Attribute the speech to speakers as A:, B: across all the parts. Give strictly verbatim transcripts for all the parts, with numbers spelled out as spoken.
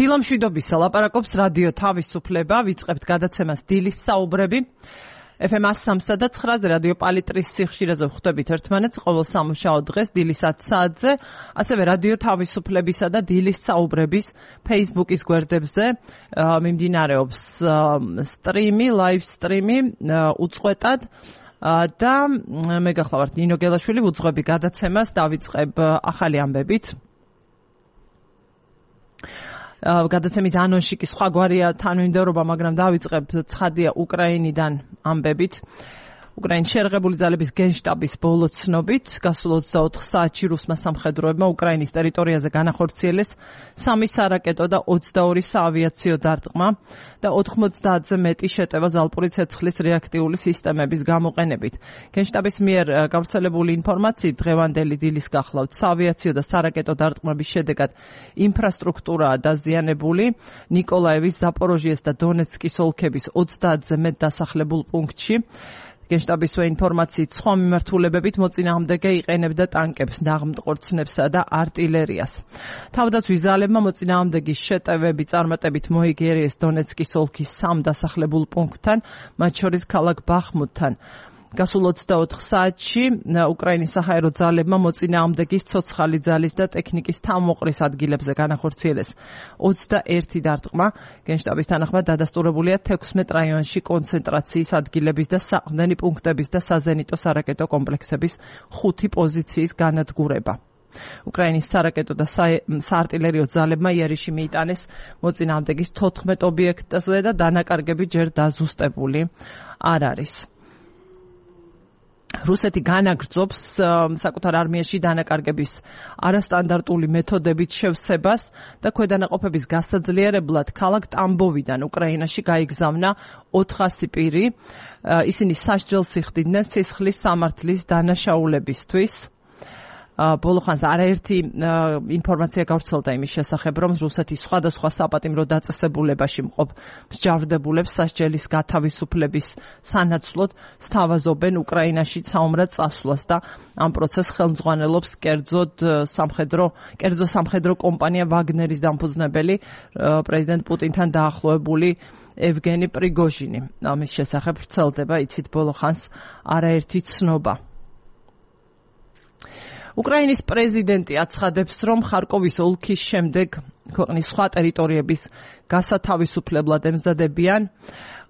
A: დილამშვიდობისა ლაპარაკობს რადიო თავისუფლება, ვიწყებთ გადაცემას დილის საუბრები. ეფ ემ one oh three და nine-ზე რადიო პალიტრის სიხშირეზე ვხვდებით ერთმანეთს ყოველ სამუშაო დღეს დილის ათი საათზე, ასევე რადიო თავისუფლებისა და დილის საუბრების Facebook-ის გვერდებზე მიმდინარეობს სტრიმი, ლაივ სტრიმი უწყვეტად და მე გახლავართ ნინო გელაშვილი, ვუძღვები გადაცემას, დავიწყებ ახალი ამბებით. გადაცემის ანონსში კი სხვაგვარია თანმიმდევრობა, მაგრამ დავიწყებ ცხადია უკრაინიდან ამბებით. უკრაინის შერღებული ძალების გენშტაბის ბოლო ცნობით, გასულ ოცდაოთხ საათში რუსმა სამხედროებმა უკრაინის ტერიტორიაზე განახორციელეს სამი სარაკეტო და ოცდაორი საავიაციო დარტყმა და ოთხმოცდაათზე მეტი შეტევა ზალპური ცეცხლის რეაქტიული სისტემების გამოყენებით. გენშტაბის მიერ გავრცელებული ინფორმაციით დღევანდელი დილის გახლავთ საავიაციო და სარაკეტო დარტყმების შედეგად ინფრასტრუქტურაა დაზიანებული ნიკოლაევის, ზაპოროჟიეს და დონეცკის ოლქების ოცდაათზე მეტ დასახლებულ პუნქტში. გენშტაბის ინფორმაციით სხვა მიმართულებებით მოწინააღმდეგე იყენებდა ტანკებს, ნაღმტყორცნებსა და არტილერიას. თავდაცვის ძალებმა მოწინააღმდეგის შეტევები წარმატებით მოიგერიეს დონეცკის ოლქის სამ დასახლებულ პუნქტთან, მათ შორის ქალაქ ბახმუთთან. გასულ ოცდაოთხ საათში უკრაინის საჰაერო ძალებმა მოწინააღმდეგის ცოცხალი ძალის და ტექნიკის თავმოყრის ადგილებზე განახორციელეს ოცდაერთი დარტყმა. გენშტაბის თანახმად დადასტურებულია თექვსმეტ რაიონში კონცენტრაციის ადგილების და საყრდენი პუნქტების და საზენიტო სარაკეტო კომპლექსების ხუთი პოზიციის განადგურება. უკრაინის სარაკეტო და საარტილერიო ძალებმა იერიში მიიტანეს მოწინააღმდეგის თოთხმეტ ობიექტზე და დანაკარგები ჯერ დაზუსტებული არ არის. რუსეთი განაგრძობს საკუთარ არმიაში დანაკარგების არასტანდარტული მეთოდებით შევსებას და ქვედანაყოფების გასაძლიერებლად ქალაქ ტამბოვიდან უკრაინაში გაიგზავნა ოთხასი პირი. ისინი სასჯელს იხდიდნენ სისხლის სამართლის დანაშაულებისთვის. ბოლო ხანს არაერთი ინფორმაცია გავრცელდა იმის შესახებ, რომ რუსეთი სხვადასხვა საპატიმრო დაწესებულებაში მყოფ მსჯავრდებულებს სასჯელის გათავისუფლების სანაცვლოდ სთავაზობენ უკრაინაში საომრად წასვლას და ამ პროცესს ხელმძღვანელობს კერძოდ სამხედრო კერძო სამხედრო კომპანია ვაგნერის დამფუძნებელი პრეზიდენტ პუტინთან დაახლოებული ევგენი პრიგოჟინი. ამის შესახებ ვრცელდება, იცით, ბოლო ხანს არაერთი ცნობა. უკრაინის პრეზიდენტი აცხადებს, რომ ხარკოვის ოლქის შემდეგ ქვეყნის სხვა ტერიტორიების გასათავისუფლებლად ემზადებიან.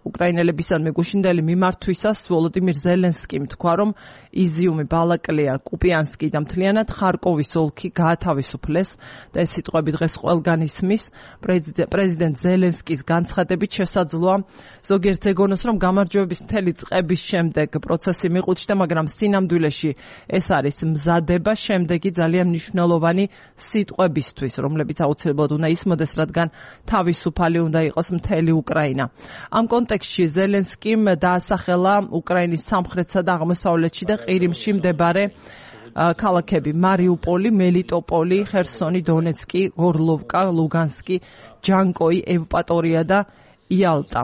A: უკრაინელებისადმი გუშინდელი მიმართვისას ვოლოდიმირ ზელენსკიმ თქვა, რომ იზიუმი, ბალაკლია, კუპიანსკი და მთლიანად ხარკოვის ოლქი გაათავისუფლეს და ეს სიტყვები დღეს ყველგან ისმის. პრეზიდენტ ზელენსკის განცხადებით შესაძლოა ზოგიერთ ეგონოს, რომ გამარჯვების მთელი წლების შემდეგ პროცესი მიყუჩდა, მაგრამ სინამდვილეში ეს არის მზადება შემდეგი ძალიან მნიშვნელოვანი სიტყვებისთვის, რომლებიც აუცილებლად უნდა ისმოდეს, რადგან თავისუფალი უნდა იყოს მთელი უკრაინა. ამ კონტექსტში ზელენსკიმ დაასახელა უკრაინის სამხრეთსა და აღმოსავლეთში და ყირიმში მდებარე ქალაქები მარიუპოლი, მელიტოპოლი, ხერსონი, დონეცკი, გორლოვკა, ლუგანსკი, ჯანკოი, ევპატორია და იალტა.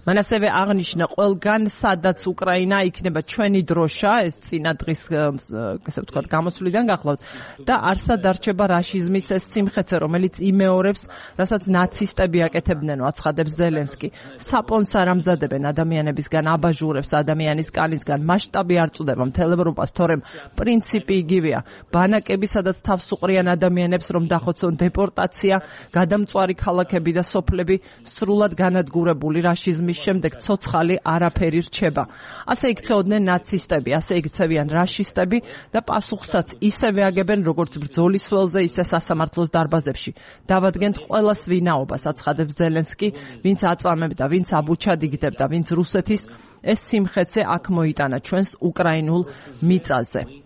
A: მან ასევე აღნიშნა, ყველგან სადაც უკრაინა იქნება ჩვენი დროშა, ეს წინა დღის ესე ვთქვათ გამოსვლიდან გახლავთ და არსად არჩება რაშიზმის ეს სიმხეცე, რომელიც იმეორებს, რასაც ნაცისტები აკეთებდნენ, აცხადებს ზელენსკი. საპონს არ ამზადებენ ადამიანებისგან, აბაჟურებს ადამიანის კალისგან, მასშტაბი არ წუდება მთელ ევროპას, თორემ პრინციპი იგივეა. ბანაკები, სადაც თავს უყრიან ადამიანებს, რომ დახოცონ დეპორტაცია, გადამწვარი ქალაქები და სოფლები სრულად განადგურებული რაშიზმის შემდეგ ცოცხალი არაფერი რჩება. ასე იქცეოდნენ ნაცისტები, ასე იქცევიან რაშისტები და პასუხსაც ისევე აგებენ, როგორც ბრძოლის ველზე, ისე სასამართლოს დარბაზებში. დავადგენთ ყველას ვინაობას, აცხადებს ზელენსკი, ვინც აწამებდა, ვინც აბუჩად იგდებდა, ვინც რუსეთის ეს სიმხეცე აქ მოიტანა ჩვენს უკრაინულ მიწაზე.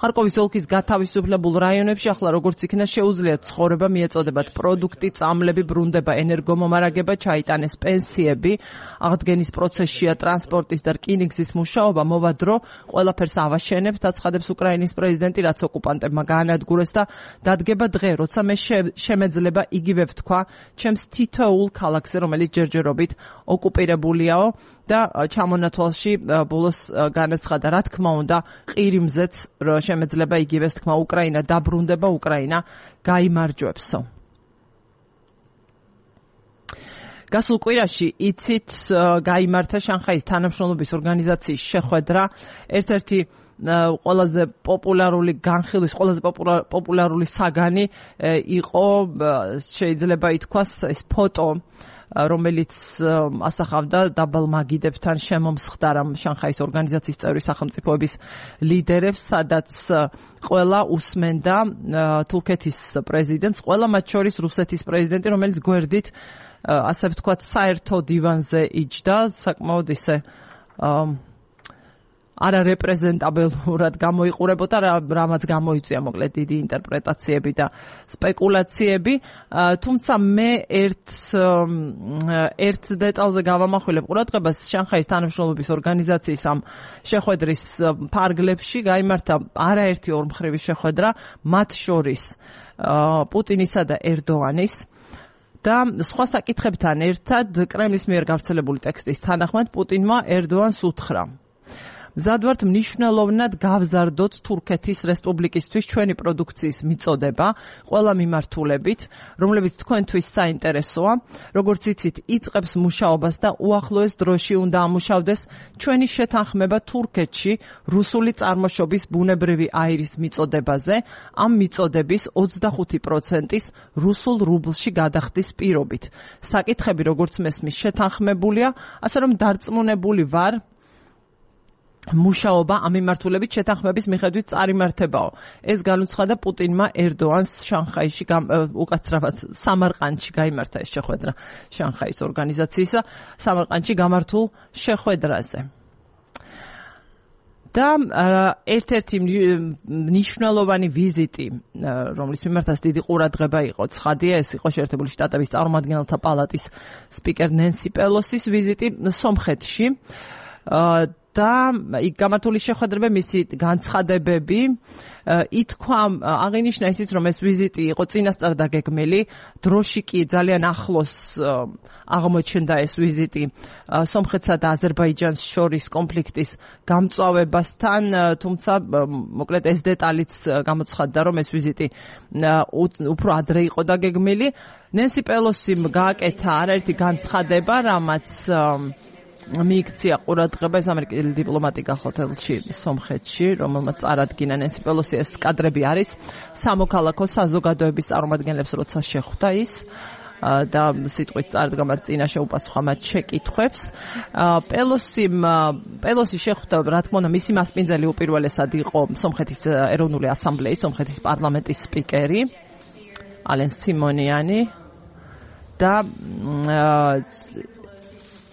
A: ხარკოვის ოლქის გათავისუფლებულ რაიონებში ახლა როგორც იქნა შეუძლია ცხოვრება მიეწოდებათ პროდუქტი, წამლები, ბრუნდება, ენერგომომარაგება, ჩაიტანეს პენსიები, აღდგენის პროცესშია ტრანსპორტის და რკინიგზის მუშაობა, მოვა დრო, ყველაფერს ავაშენებთ, აცხადებს უკრაინის პრეზიდენტი, რაც ოკუპანტებმა გაანადგურეს და დადგება დღე, როცა მე შემეძლება იგივე ვთქვა ჩემს თითოეულ ქალაქზე, რომელიც ჯერჯერობით ოკუპირებულიაო და ჩამონათვალში ბოლოს განაცხადა, რა თქმა უნდა, ყირიმზეც შემეძლება იგივეს თქმა, უკრაინა დაბრუნდება, უკრაინა გაიმარჯვებსო. გასულ კვირაში იცით გაიმართა შანხაის თანამშრომლობის ორგანიზაციის შეხვედრა, ერთ-ერთი ყველაზე პოპულარული განხილვის, ყველაზე პოპულარული საგანი იყო, შეიძლება ითქვას, ეს ფოტო, რომელიც ასახავდა დაბალ მაგიდებთან შემომსხდა შანხაის ორგანიზაციის წევრი სახელმწიფოების ლიდერებს, სადაც ყველა უსმენდა თურქეთის პრეზიდენტს, ყველა მათ შორის რუსეთის პრეზიდენტი, რომელიც გვერდით, ასე ვთქვათ, საერთო დივანზე იჯდა, საკმაოდ ისე არარეპრეზენტაბელურად გამოიყურებოდა, რამაც გამოიწვია მოკლედ დიდი ინტერპრეტაციები და სპეკულაციები, თუმცა მე ერთ ერთ დეტალზე გავამახვილებ ყურადღებას. შანხაის თანამშრომლობის ორგანიზაციის ამ შეხვედრის ფარგლებში გაიმართა არაერთი ორმხრივი შეხვედრა, მათ შორის პუტინისა და ერდოანის და სხვა საკითხებთან ერთად კრემლის მიერ გავრცელებული ტექსტის თანახმად პუტინმა ერდოანს უთხრა: მზად ვართ მნიშვნელოვნად გავზარდოთ თურქეთის რესპუბლიკისთვის ჩვენი პროდუქციის მიწოდება ყველა მიმართულებით, რომლებიც თქვენთვის საინტერესოა, როგორც იცით, იწყებს მუშაობას და უახლოეს დროში უნდა ამუშავდეს ჩვენი შეთანხმება თურქეთში რუსული წარმოშობის ბუნებრივი აირის მიწოდებაზე, ამ მიწოდების ოცდახუთი პროცენტის რუსულ რუბლში გადახდის პირობით. საკითხები, როგორც მესმის, შეთანხმებულია, ასე რომ დარწმუნებული ვარ, მუშაობა ამ მიმართულებით შეთანხმების მიხედვით წარიმართებაო. ეს განუცხადა პუტინმა ერდოანს შანხაიში, უკაცრავად სამარყანდში გაიმართა ეს შეხვედრა შანხაის ორგანიზაციისა, სამარყანდში გამართულ შეხვედრაზე. და ერთ-ერთი მნიშვნელოვანი ვიზიტი, რომლის მიმართაც დიდი ყურადღება იყო, ცხადია, ეს იყო შეერთებული შტატების წარმომადგენელთა პალატის სპიკერ ნენსი პელოსის ვიზიტი სომხეთში. და იქ გამართული შეხვედრები, მისი განცხადებები, ითქვა, აღინიშნა ისიც, რომ ეს ვიზიტი იყო წინასწარ დაგეგმილი, დროში კი ძალიან ახლოს აღმოჩნდა ეს ვიზიტი სომხეთსა და აზერბაიჯანს შორის კონფლიქტის გამწვავებასთან, თუმცა მოკლედ ეს დეტალიც გამოცხადდა, რომ ეს ვიზიტი უფრო ადრე იყო დაგეგმილი. ნენსი პელოსიმ გააკეთა არაერთი განცხადება, რამაც მიიქცია ყურადღება ეს ამერიკელი დიპლომატი გახოთელში სომხეთში, რომელმაც წარადგინა ნენსი პელოსი. ეს კადრები არის სამოქალაქო საზოგადოების წარმომადგენლებს, როცა შეხვდა ის და სიტყვით წარდგამა წინაშე უპასუხა მათ შეკითხვებს. პელოსიმ პელოსი შეხვდა, რა თქმა უნდა, მისი მასპინძელი უპირველესად იყო სომხეთის ეროვნული ასამბლეის, სომხეთის პარლამენტის სპიკერი ალენ სიმონიანი და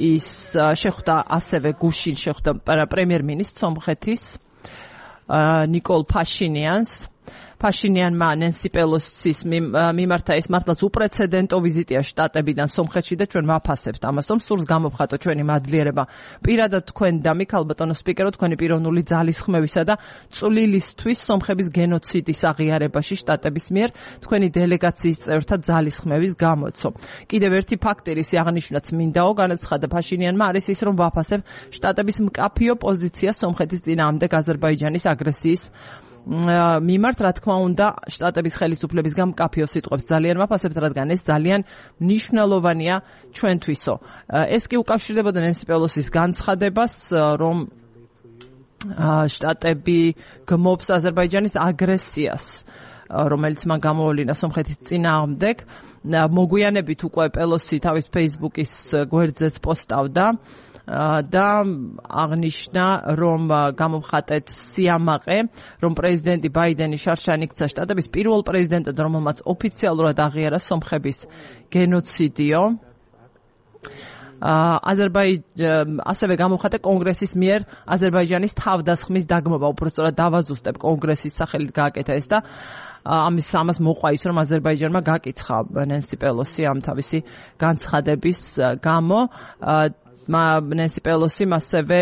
A: ის შეხვდა ასევე გუშინ შეხვდა პრემიერ-მინისტრ სომხეთის ნიკოლ ფაშინიანს. ფაშინიანმა ნენსი პელოსის მიმართა ეს მართლაც უპრეცედენტო ვიზიტია შტატებიდან სომხეთში და ჩვენ ვაფასებთ ამას, რომ სურს გამოვხატო ჩვენი მადლიერება პირადად თქვენ და მიქ ალბატონო სპიკერო, თქვენი პიროვნული ძალისხმევისა და წვლილისთვის სომხების გენოციდის აღიარებაში შტატების მიერ თქვენი დელეგაციის წევრთა ძალისხმევის გამოცო. კიდევ ერთი ფაქტი ის აღნიშნაც მინდაო, განაცხადა ფაშინიანმა, არის ის, რომ ვაფასებ შტატების მკაფიო პოზიცია სომხეთის წინააღმდეგ აზერბაიჯანის აგრესიის მიმართ, რა თქმა უნდა, შტატების ხელისუფლების გამკაფიო სიტყვებს ძალიან ვაფასებთ, რადგან ეს ძალიან მნიშვნელოვანია ჩვენთვისო. ეს კი უკავშირდებოდა ნენსი პელოსის განცხადებას, რომ შტატები გმობს აზერბაიჯანის აგრესიას, რომელიც მან გამოვლინა სომხეთის წინააღმდეგ. მოგვიანებით უკვე პელოსი თავის ფეისბუქის გვერდზეც პოსტავდა და აღნიშნა, რომ გამოვხატეთ სიამაყე, რომ პრეზიდენტი ბაიდენი შარშან იქცა შტატების პირველ პრეზიდენტად, რომელმაც ოფიციალურად აღიარა სომხების გენოციდიო. აზერბაიჯანი ასევე გამოვხატა კონგრესის მიერ აზერბაიჯანის თავდასხმის დაგმობა, უბრალოდ დავაზუსტებ, კონგრესის სახელით გააკეთა ეს და ამის ამას მოყვა ის, რომ აზერბაიჯანმა გაკიცხა ნენსი პელოსი ამ თავისი განცხადების გამო. ნენსი პელოსი ასევე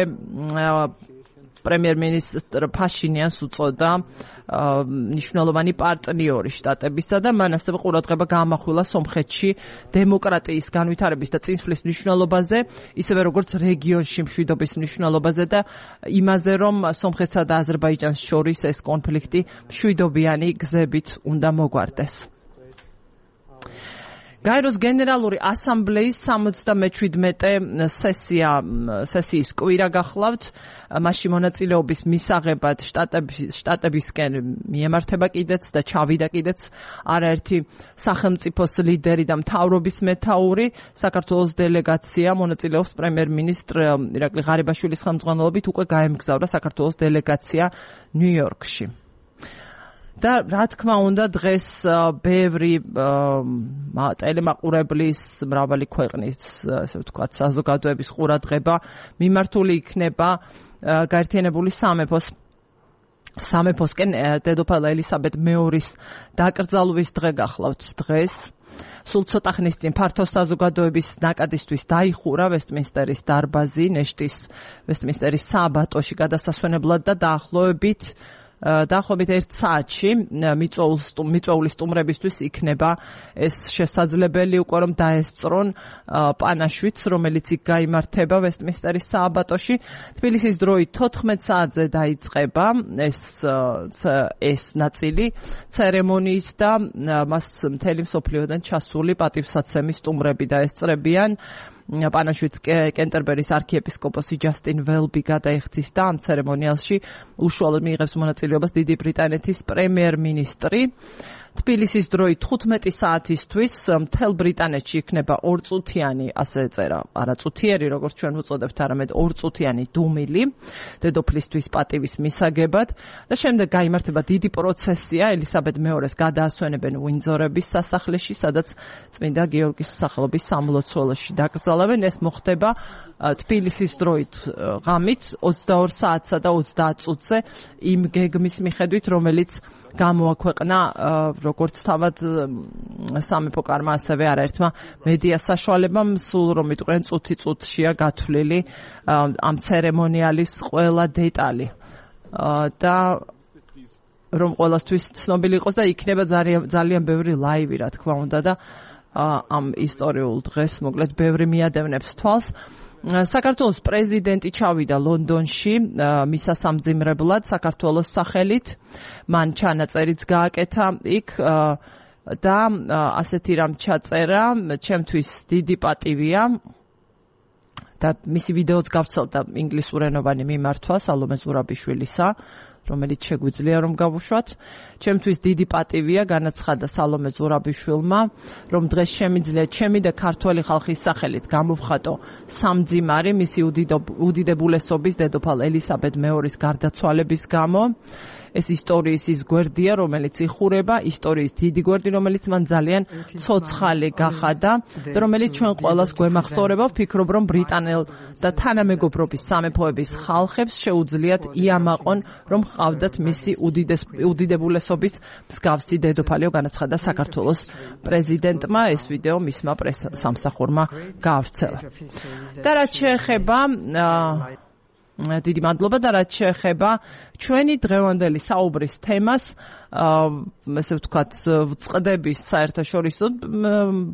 A: პრემიერ-მინისტრ ფაშინიანს უწოდა მნიშვნელოვანი პარტნიორი შტატებისა და მან ასევე ყურადღება გაამახვილა სომხეთში დემოკრატიის განვითარების და წინსვლის მნიშვნელობაზე, ისევე როგორც რეგიონში მშვიდობის მნიშვნელობაზე და იმაზე, რომ სომხეთსა და აზერბაიჯანს შორის ეს კონფლიქტი მშვიდობიანი გზებით უნდა მოგვარდეს. გაეროს გენერალური ასამბლეის სამოცდამეჩვიდმეტე სესია სესიის კვირა გახლავთ. მასში მონაწილეობის მისაღებად შტატებისკენ მიემართება კიდეც და ჩავიდა კიდეც არაერთი სახელმწიფოს ლიდერი და მთავრობის მეთაური. საქართველოს დელეგაცია მონაწილეობს პრემიერ-მინისტრ ირაკლი ღარიბაშვილის ხელმძღვანელობით უკვე გაემგზავრა საქართველოს დელეგაცია ნიუ-იორკში. და რა თქმა უნდა დღეს ბევრი ტელემაყურებლის მრავალი ქვეყნის ასე ვთქვათ საზოგადოების ყურადღება მიმართული იქნება გაერთიანებული სამეფოს სამეფოსკენ დედოფალ ელისაბედ მეორის დაკრძალვის დღე გახლავთ დღეს. სულ ცოტა ხნის წინ ფართო საზოგადოების ნაკადისთვის დაიხურა ვესტმინსტერის დარბაზი ნეშტის ვესტმინსტერის სააბატოში გადასასვენებლად და დაახლოებით დაახლოებით ერთ საათში მიწვეული სტუმრებისთვის იქნება ეს შესაძლებელი უკვე რომ დაესწრონ პანაშვიდს, რომელიც იქ გაიმართება ვესტმინსტერის სააბატოში. თბილისის დროით თოთხმეტ საათზე დაიწყება ეს ეს ნაწილი ცერემონიის და მას მთელი მსოფლიოდან ჩასული პატივსაცემი სტუმრები დაესწრებიან. პანაშვიდს კენტერბერის არქიეპისკოპოსი ჯასტინ ველბი გადაიხდის და ამ ცერემონიალში უშუალოდ მიიღებს მონაწილეობას დიდი ბრიტანეთის პრემიერ-მინისტრი. თბილისის დროით თხუთმეტი საათისთვის მთელ ბრიტანეთში იქნება ორწუთიანი, ასე წერა, არა წუთიერი, როგორც ჩვენ ვუწოდებთ, არამედ ორწუთიანი დუმილი დედოფლისთვის პატივის მისაგებად და შემდეგ გაიმართება დიდი პროცესია, ელისაბედ მეორეს გადაასვენებენ უინძორების სასახლეში, სადაც წმინდა გიორგის სახელობის სამლოცველოში დაკრძალავენ. ეს მოხდება თბილისის დროით ღამით ოცდაორ საათსა და ოცდაათ წუთზე იმ გეგმის მიხედვით, რომელიც გამოაქვეყნა როგორც თავად სამეფო კარმა, ასევე არაერთმა მედია საშუალებამ, სულ რომ იტყვიან წუთი წუთშია გათვლილი ამ ცერემონიალის ყველა დეტალი და რომ ყველასთვის ცნობილი იყოს და იქნება ძალიან ძალიან ბევრი ლაივი, რა თქმა უნდა და ამ ისტორიულ დღეს მოკლედ ბევრი მიადევნებს თვალს. საქართველოს პრეზიდენტი ჩავიდა ლონდონში მისასამძიმრებლად საქართველოს სახელით. მან ჩანაწერიც გააკეთა იქ და ასეთი რამ ჩაწერა, ჩემთვის დიდი პატივია და მისი ვიდეოც გავრცელდა ინგლისურენოვანი მიმართვა სალომე ზურაბიშვილისა, რომელიც შეგვიძლია რომ გავუშვათ. ჩემთვის დიდი პატივია განაცხადა სალომე ზურაბიშვილმა, რომ დღეს შემიძლია ჩემი და ქართველი ხალხის სახელით გამოვხატო სამძიმარი მისი უდიდებულესობის დედოფალ ელისაბედ მეორის გარდაცვალების გამო. ეს ისტორიის ის გვერდია, რომელიც იხურება, ისტორიის დიდი გვერდი, რომელიც მან ძალიან ცოცხალი გახადა და რომელიც ჩვენ ყველას გვემახსოვრება. ვფიქრობ, რომ ბრიტანელ და თანამეგობრობის სამეფოების ხალხებს შეუძლიათ იამაყონ, რომ ჰყავდათ მისი უდიდებულესობის მსგავსი დედოფალიო, განაცხადა საქართველოს პრეზიდენტმა. ეს ვიდეო მისმა პრესსამსახურმა გაავრცელა. და რაც შეეხება დიდი მადლობა და რაც შეეხება ჩვენი დღევანდელი საუბრის თემას, ესე ვთქვათ, ვწყდების საერთაშორისო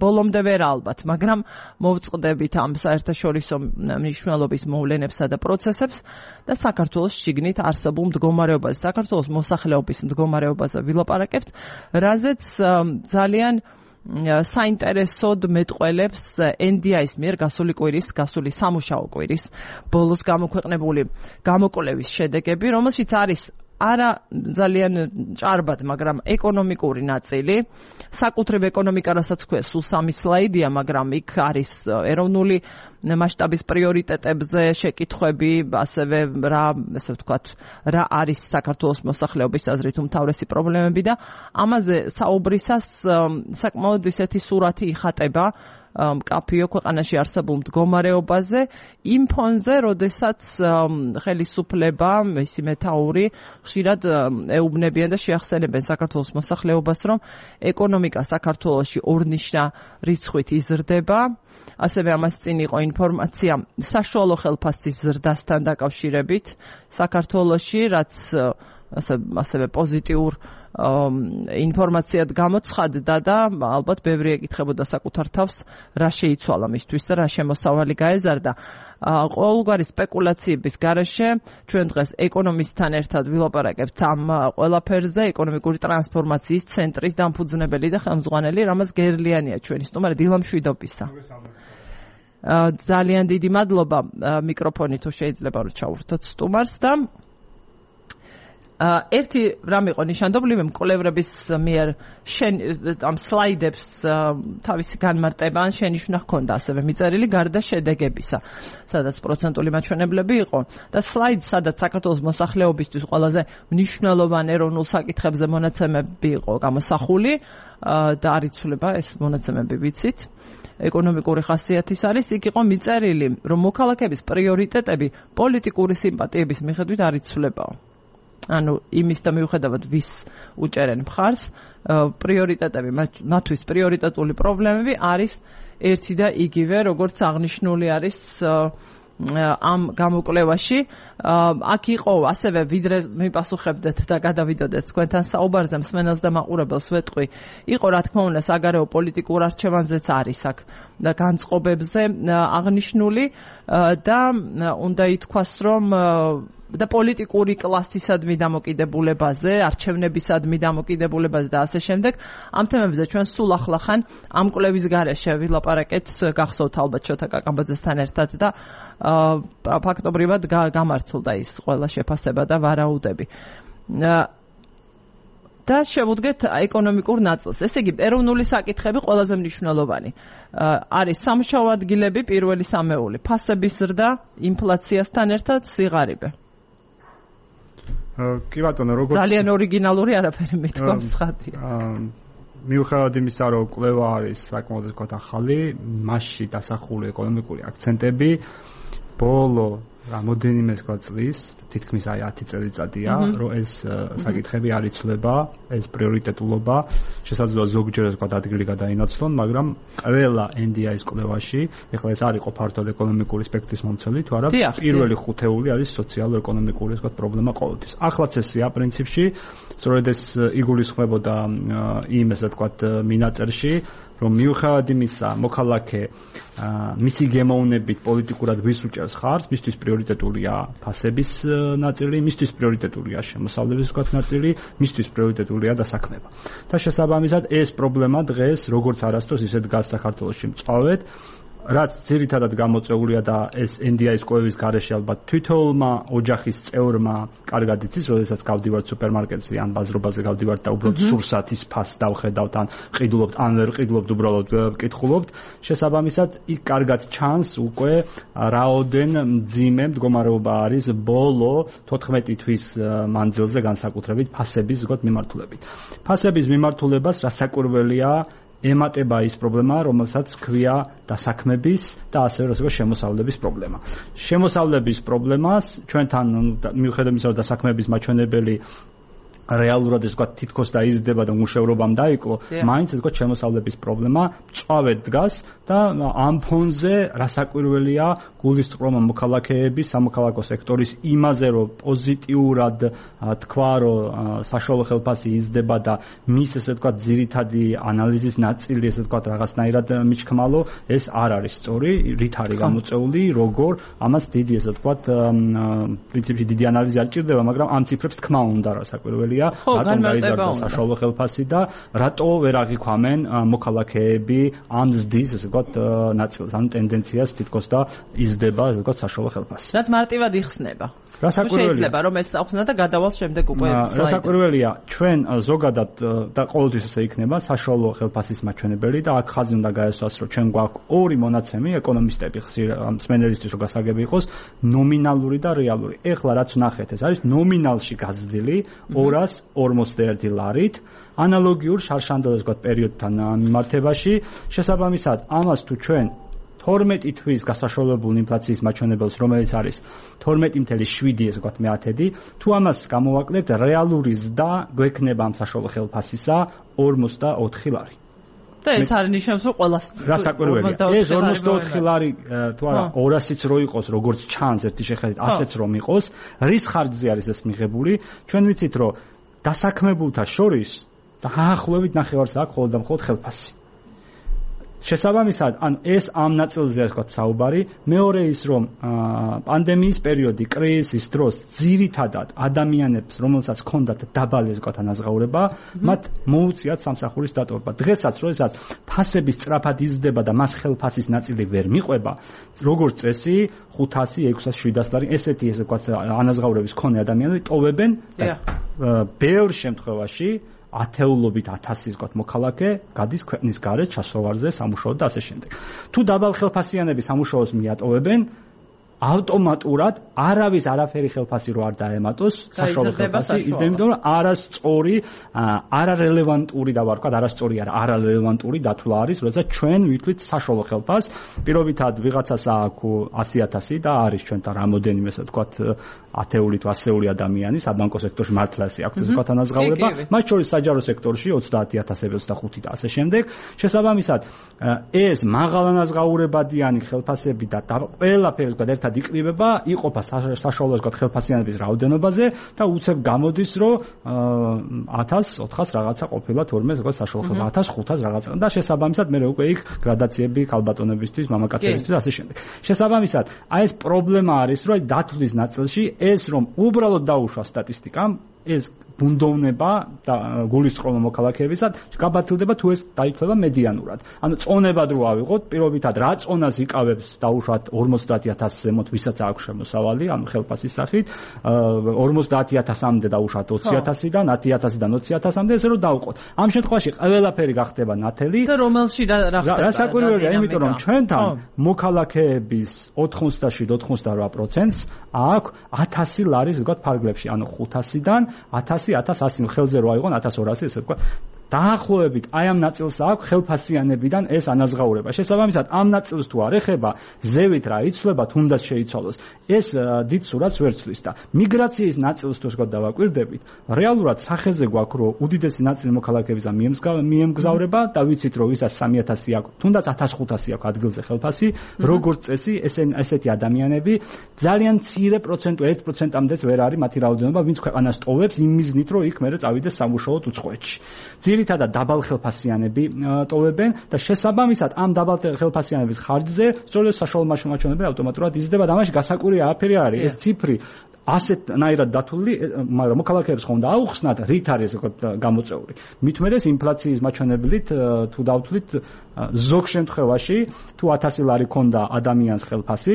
A: ბოლომდე ვერ ალბათ, მაგრამ მოვწყდებით ამ საერთაშორისო მნიშვნელობის მოვლენებსა და პროცესებს და საქართველოს შიგნით არსებულ მდგომარეობაზე, საქართველოს მოსახლეობის მდგომარეობაზე ვილაპარაკებთ, რაზეც ძალიან საინტერესოდ მეტყველებს ენ დი აის მიერ გასული კვირის, გასული სამუშაო კვირის ბოლოს გამოქვეყნებული გამოკვლევის შედეგები, რომელშიც არის არა ძალიან ჭარბად, მაგრამ ეკონომიკური ნაწილი. საკუთრივ ეკონომიკა, რასაც ქვია, სულ სამი სლაიდია, მაგრამ იქ არის ეროვნული მასშტაბის პრიორიტეტებზე შეკითხვები, ასევე რა, ესე ვთქვათ, რა არის საქართველოს მოსახლეობის აზრით უმთავრესი პრობლემები და ამაზე საუბრისას საკმაოდ ისეთი სურათი იხატება მკაფიო ქვეყანაში არსებულ მდგომარეობაზე იმ ფონზე, როდესაც ხელისუფლება, მისი მეთაური ხშირად ეუბნებიან და შეახსენებენ საქართველოს მოსახლეობას, რომ ეკონომიკა საქართველოში ორნიშნა რიცხვით იზრდება. ასევე ამას წინ იყო ინფორმაცია საშუალო ხელფასის ზრდასთან დაკავშირებით საქართველოში, რაც ასევე პოზიტიურ ინფორმაციად გამოცხადდა და ალბათ ბევრი ეკითხებოდა საკუთარ თავს რა შეიცვალა მისთვის და რა შემოსავალი გაეზარდა. ყოველგვარი სპეკულაციების გარეშე ჩვენ დღეს ეკონომისტთან ერთად ვილაპარაკებთ ამ ყველაფერზე, ეკონომიკური ტრანსფორმაციის ცენტრის დამფუძნებელი და ხელმძღვანელი რამაზ გერლიანია ჩვენი სტუმარი დილა მშვიდობისა. ძალიან დიდი მადლობა მიკროფონი თუ შეიძლება რომ ჩაურთოთ სტუმარს და ერთი რამ იყო ნიშანდობლივი მკვლევრების მიერ შენ ამ სლაიდებს თავისი განმარტება ან შენიშვნა ჰქონდა ასევე მიწერილი გარდა შედეგებისა, სადაც პროცენტული მაჩვენებლები იყო და სლაიდს, სადაც საქართველოს მოსახლეობისთვის ყველაზე მნიშვნელოვანი ეროვნულ საკითხებზე მონაცემები იყო გამოსახული და არ იცვლება ეს მონაცემები ვიცით. ეკონომიკური ხასიათის არის, იქ იყო მიწერილი, რომ მოქალაქეების პრიორიტეტები პოლიტიკური სიმპათიების მიხედვით არ იცვლებაო. ანუ იმის და მიუხედავად ვის უჭერენ მხარს, პრიორიტეტები, მათთვის პრიორიტეტული პრობლემები არის ერთი და იგივე, როგორც აღნიშნული არის ამ გამოკვლევაში. აქ იყო ასევე ვიდრე მიპასუხებდეთ და გადავიდოდეთ თქვენთან საუბარზე, მსმენელს და მაყურებელს ვეტყვი, იყო რა თქმა უნდა საგარეო პოლიტიკურ არჩევანზეც არის აქ და განწყობებზე აღნიშნული და უნდა ითქვას, რომ და პოლიტიკური კლასისადმი დამოკიდებულებაზე, არჩევნებისადმი დამოკიდებულებაზე და ასე შემდეგ. ამ თემებზე ჩვენ სულ ახლახან ამ კვლევის გარეშე ვილაპარაკეთ, გახსოვთ ალბათ შოთა კაკაბაძესთან ერთად და ფაქტობრივად გამართლდა ის ყველა შეფასება და ვარაუდები. და შევუდგეთ ეკონომიკურ ნაწილს. ესე იგი, ეროვნული საკითხები ყველაზე მნიშვნელოვანი. არის სამუშაო ადგილები, პირველი სამეული, ფასების ზრდა, ინფლაციასთან ერთად სიღარიბე.
B: კი ბატონო, როგორც
A: ძალიან ორიგინალური არაფერი მithkom ცხადია.
B: მიუხედავად იმისა, რომ კვლევა არის საკმაოდ ვთქვათ ახალი, მასში დასახული ეკონომიკური აქცენტები ბოლო რამოდენიმე წლის, თითქმის აი ათი წელიწადია, რომ ეს საკითხები არ იცვლება, ეს პრიორიტეტულობა, შესაძლოა ზოგჯერ ვთქვათ ადგილი გადაინაცვლონ, მაგრამ ყველა ენ დი აის კვლევაში, ეხლა ეს არ იყო ფართოდ ეკონომიკური სპექტრის მომცველი, თუ არა, პირველი ხუთეული არის სოციალურ-ეკონომიკური ვთქვათ პრობლემა ყოველთვის. ახლაც ესია პრინციპში, სწორედ ეს იგულისხმებოდა იმ ესე ვთქვათ მინაწერში, რომ მიუხედავად იმისა, მოქალაქე მისი გემოვნებით პოლიტიკურად ვის უჭერს ხარს, მისთვის პრიორიტეტულია ფასების ნაწილი, მისთვის პრიორიტეტულია შემოსავლების ვთქვათ ნაწილი, მისთვის პრიორიტეტულია დასაქმება. და შესაბამისად ეს პრობლემა დღეს როგორც არასდროს ისე დგას საქართველოში მწვავედ, რაც ძირითადად გამოწვეულია და ეს ენ დი აის კვლევის გარეშე ალბათ თითოეულმა ოჯახის წევრმა კარგად იცის, როდესაც გავდივართ სუპერმარკეტზე ან ბაზრობაზე გავდივართ და უბრალოდ სურსათის ფასს დავხედავთ ან ყიდულობთ ან ვერ ყიდულობთ, უბრალოდ ვკითხულობთ. შესაბამისად, იქ კარგად ჩანს უკვე რაოდენ მძიმე მდგომარეობა არის ბოლო თოთხმეტი თვის მანძილზე განსაკუთრებით ფასების ვთქვათ მიმართულებით. ფასების მიმართულებას რასაკვირველია ემატება ის პრობლემა, რომელსაც ქვია დასაქმების და ასევე როგორც შემოსავლების პრობლემა. შემოსავლების პრობლემას ჩვენთან მიუხედავად იმისა, რომ დასაქმების მაჩვენებელი რეალურად ეს ვთქვათ თითქოს დაიზრდება და მუშევრობამ დაიკლო, მაინც ეს ვთქვათ შემოსავლების პრობლემა მწვავედ დგას და ამ ფონზე რასაკვირველია გულისწყრომა მოქალაქეების, სამოქალაქო სექტორის იმაზე, რომ პოზიტიურად თქვა, რომ საშუალო ხელფასი იზრდება და მის ესე ვთქვათ ძირითადი ანალიზის ნაწილი ესე ვთქვათ რაღაცნაირად მიჩქმალო, ეს არ არის სწორი, რით არის გამოწეული, როგორ, ამას დიდი ესე ვთქვათ პრინციპში დიდი ანალიზი არ ჭირდება, მაგრამ ამ ციფრებს თქმა უნდა რასაკვირველია, რატომ გაიზარდა საშუალო ხელფასი და რატო ვერ აღიქვამენ მოქალაქეები ამ ზრდის ესე ვთქვათ ნაწილს, ან ტენდენციას თითქოს და იზრდება ესე ვთქვათ საშუალო ხელფასი.
A: რაც მარტივად იხსნება.
B: რასაკვირველია.
A: შეიძლება რომ ეს ახსნა და გადავალ შემდეგ უკვე სლაიდში.
B: რასაკვირველია, ჩვენ ზოგადად და ყოველთვის ესე იქნება საშუალო ხელფასის მაჩვენებელი და აქ ხაზი უნდა გაესვას, რომ ჩვენ გვაქვს ორი მონაცემი, ეკონომისტები ხშირ მსმენელისთვის რომ გასაგები იყოს, ნომინალური და რეალური. ეხლა რაც ვნახეთ, ეს არის ნომინალში გაზრდილი ორას ორმოცდაერთი ლარით, ანალოგიურ შარშანდელას ვთქვათ პერიოდთან მიმართებაში. შესაბამისად, ამას თუ ჩვენ თორმეტი თვის გასაშოლებულ ინფლაციის მაჩვენებელს, რომელიც არის თორმეტი წუთი შვიდი ესე ვთქვათ მეათედი, თუ ამას გამოვაკლებთ, რეალური ზრდა გვექნება ამ საშუალო ხელფასისა ორმოცდაოთხი ლარი.
A: და ეს არის ნიშნავს რომ ყველას
B: რა საკვირველია ეს ორმოცდაოთხი ლარი თუ არა ორასიც რო იყოს როგორც ჩანს ერთი შეხედვით ასეც რომ იყოს რის ხარჯზე არის ეს მიღებული ჩვენ ვიცით რომ დასაქმებულთა შორის დაახლოებით ნახევარს აქვს ხოლმე და მხოლოდ ხელფასი შესაბამისად ან ეს ამ ნაწილზე ასე ვთქვათ საუბარი მეორე ის რომ პანდემიის პერიოდი კრიზისის დროს ძირითადად ადამიანებს რომელსაც ჰქონდათ დაბალი ასე ვთქვათ ანაზღაურება მათ მოუწიათ სამსახურის დატოვება დღესაც როდესაც ფასების სწრაფად იზრდება და მას ხელფასის ნაწილი ვერ მიყვება როგორც წესი ხუთასი ექვსასი შვიდასი ლარი ესეთი ასე ვთქვათ ანაზღაურების მქონე ადამიანები ტოვებენ და ბევრ შემთხვევაში ათეულობით ათასის ვთქვათ მოქალაქე გადის ქვეყნის გარეთ ჩასოვარზე სამუშაოდ და ასე შემდეგ. თუ დაბალ ხელფასიანები სამუშაოს მიატოვებენ ავტომატურად არავის არაფერი ხელფასი რო არ დაემატოს საშუალო ხელფასი იმიტომ რომ არასწორი არარელევანტური და ვარ ვთქვათ არასწორი არა არარელევანტური დათვლა არის როდესაც ჩვენ ვითვლით საშუალო ხელფასს პირობითად ვიღაცას აქვს ასი ათასი და არის ჩვენთან რამოდენიმე ასე ვთქვათ ათეული თუ ასეული ადამიანი საბანკო სექტორში მართლა ასე აქვს ვთქვათ ანაზღაურება მათ შორის საჯარო სექტორში ოცდაათი ათასი ოცდახუთი და ასე შემდეგ შესაბამისად ეს მაღალ ანაზღაურებადიანი ხელფასები და ყველაფერი ვთქვათ ერთად იკრიბება იყოფა საშუალო ვთქვათ ხელფასიანების რაოდენობაზე და უცებ გამოდის რომ ათას ოთხას რაღაცა ყოფილა თორმე ვთქვათ საშუალო ხელფასი ათას ხუთას რაღაცა და შესაბამისად მე უკვე იქ გრადაციები ქალბატონებისთვის მამაკაცებისთვის ასე შემდეგ შესაბამისად აი ეს პრობლემა არის რომ დათვლის ნაწილში ეს რომ უბრალოდ დაუშვა სტატისტიკამ ეს ბუნდოვნება და გულისწყრომა მოქალაქეებისად გაბათილდება თუ ეს დაითვლება მედიანურად. ანუ წონებად რო ავიღოთ, პირობითად რა წონას იკავებს დაუშვათ ორმოცდაათი ათასი ზემოთ ვისაც აქვს შემოსავალი, ანუ ხელფასის სახით, ორმოცდაათი ათასამდე დაუშვათ ოცი ათასიდან, ათი ათასიდან ოცი ათასამდე ესე რო დავყოთ. ამ შემთხვევაში ყველაფერი გახდება ნათელი.
A: და რომელში რა ხდება?
B: რა საკვირველია, იმიტომ რომ ჩვენთან მოქალაქეების ოთხმოცდაშვიდ ოთხმოცდარვა პროცენტს აქვს ათასი ლარის ვთქვათ ფარგლებში, ანუ ხუთასიდან ათასი ათას ასი ხელზე რო აიღონ ათას ორასი ესე ვთქვათ დაახლოებით აი ამ ნაწილს აქვს ხელფასიანებიდან ეს ანაზღაურება. შესაბამისად ამ ნაწილს თუ არ ეხება ზევით რა იცვლება თუნდაც შეიცვალოს ეს დიდ სურათს ვერ ცვლის და მიგრაციის ნაწილს თუ ვთქვათ დავაკვირდებით რეალურად სახეზე გვაქვს რომ უდიდესი ნაწილი მოქალაქეებისა მიემგზავრება და ვიცით რომ ვისაც სამი ათასი აქვს თუნდაც ათას ხუთასი აქვს ადგილზე ხელფასი როგორც წესი ესეთი ადამიანები ძალიან მცირე პროცენტი ერთ პროცენტამდეც ვერ არის მათი რაოდენობა ვინც ქვეყანას ტოვებს იმ მიზნით რომ იქ მერე წავიდეს სამუშაოდ უცხოეთში ძირითადად დაბალ ხელფასიანები ტოვებენ და შესაბამისად ამ დაბალ ხელფასიანების ხარჯზე სწორედ საშუალო მაჩვენებელი ავტომატურად იზრდება და ამაში გასაკვირია აფერი არის ეს ციფრი ასეთნაირად დათვლილი მაგრამ მოქალაქეებს ხომ და აუხსნათ რით არის გამოწეული მით უმეტეს ინფლაციის მაჩვენებლით თუ დავთვლით ზოგ შემთხვევაში თუ ათასი ლარი ქონდა ადამიანს ხელფასი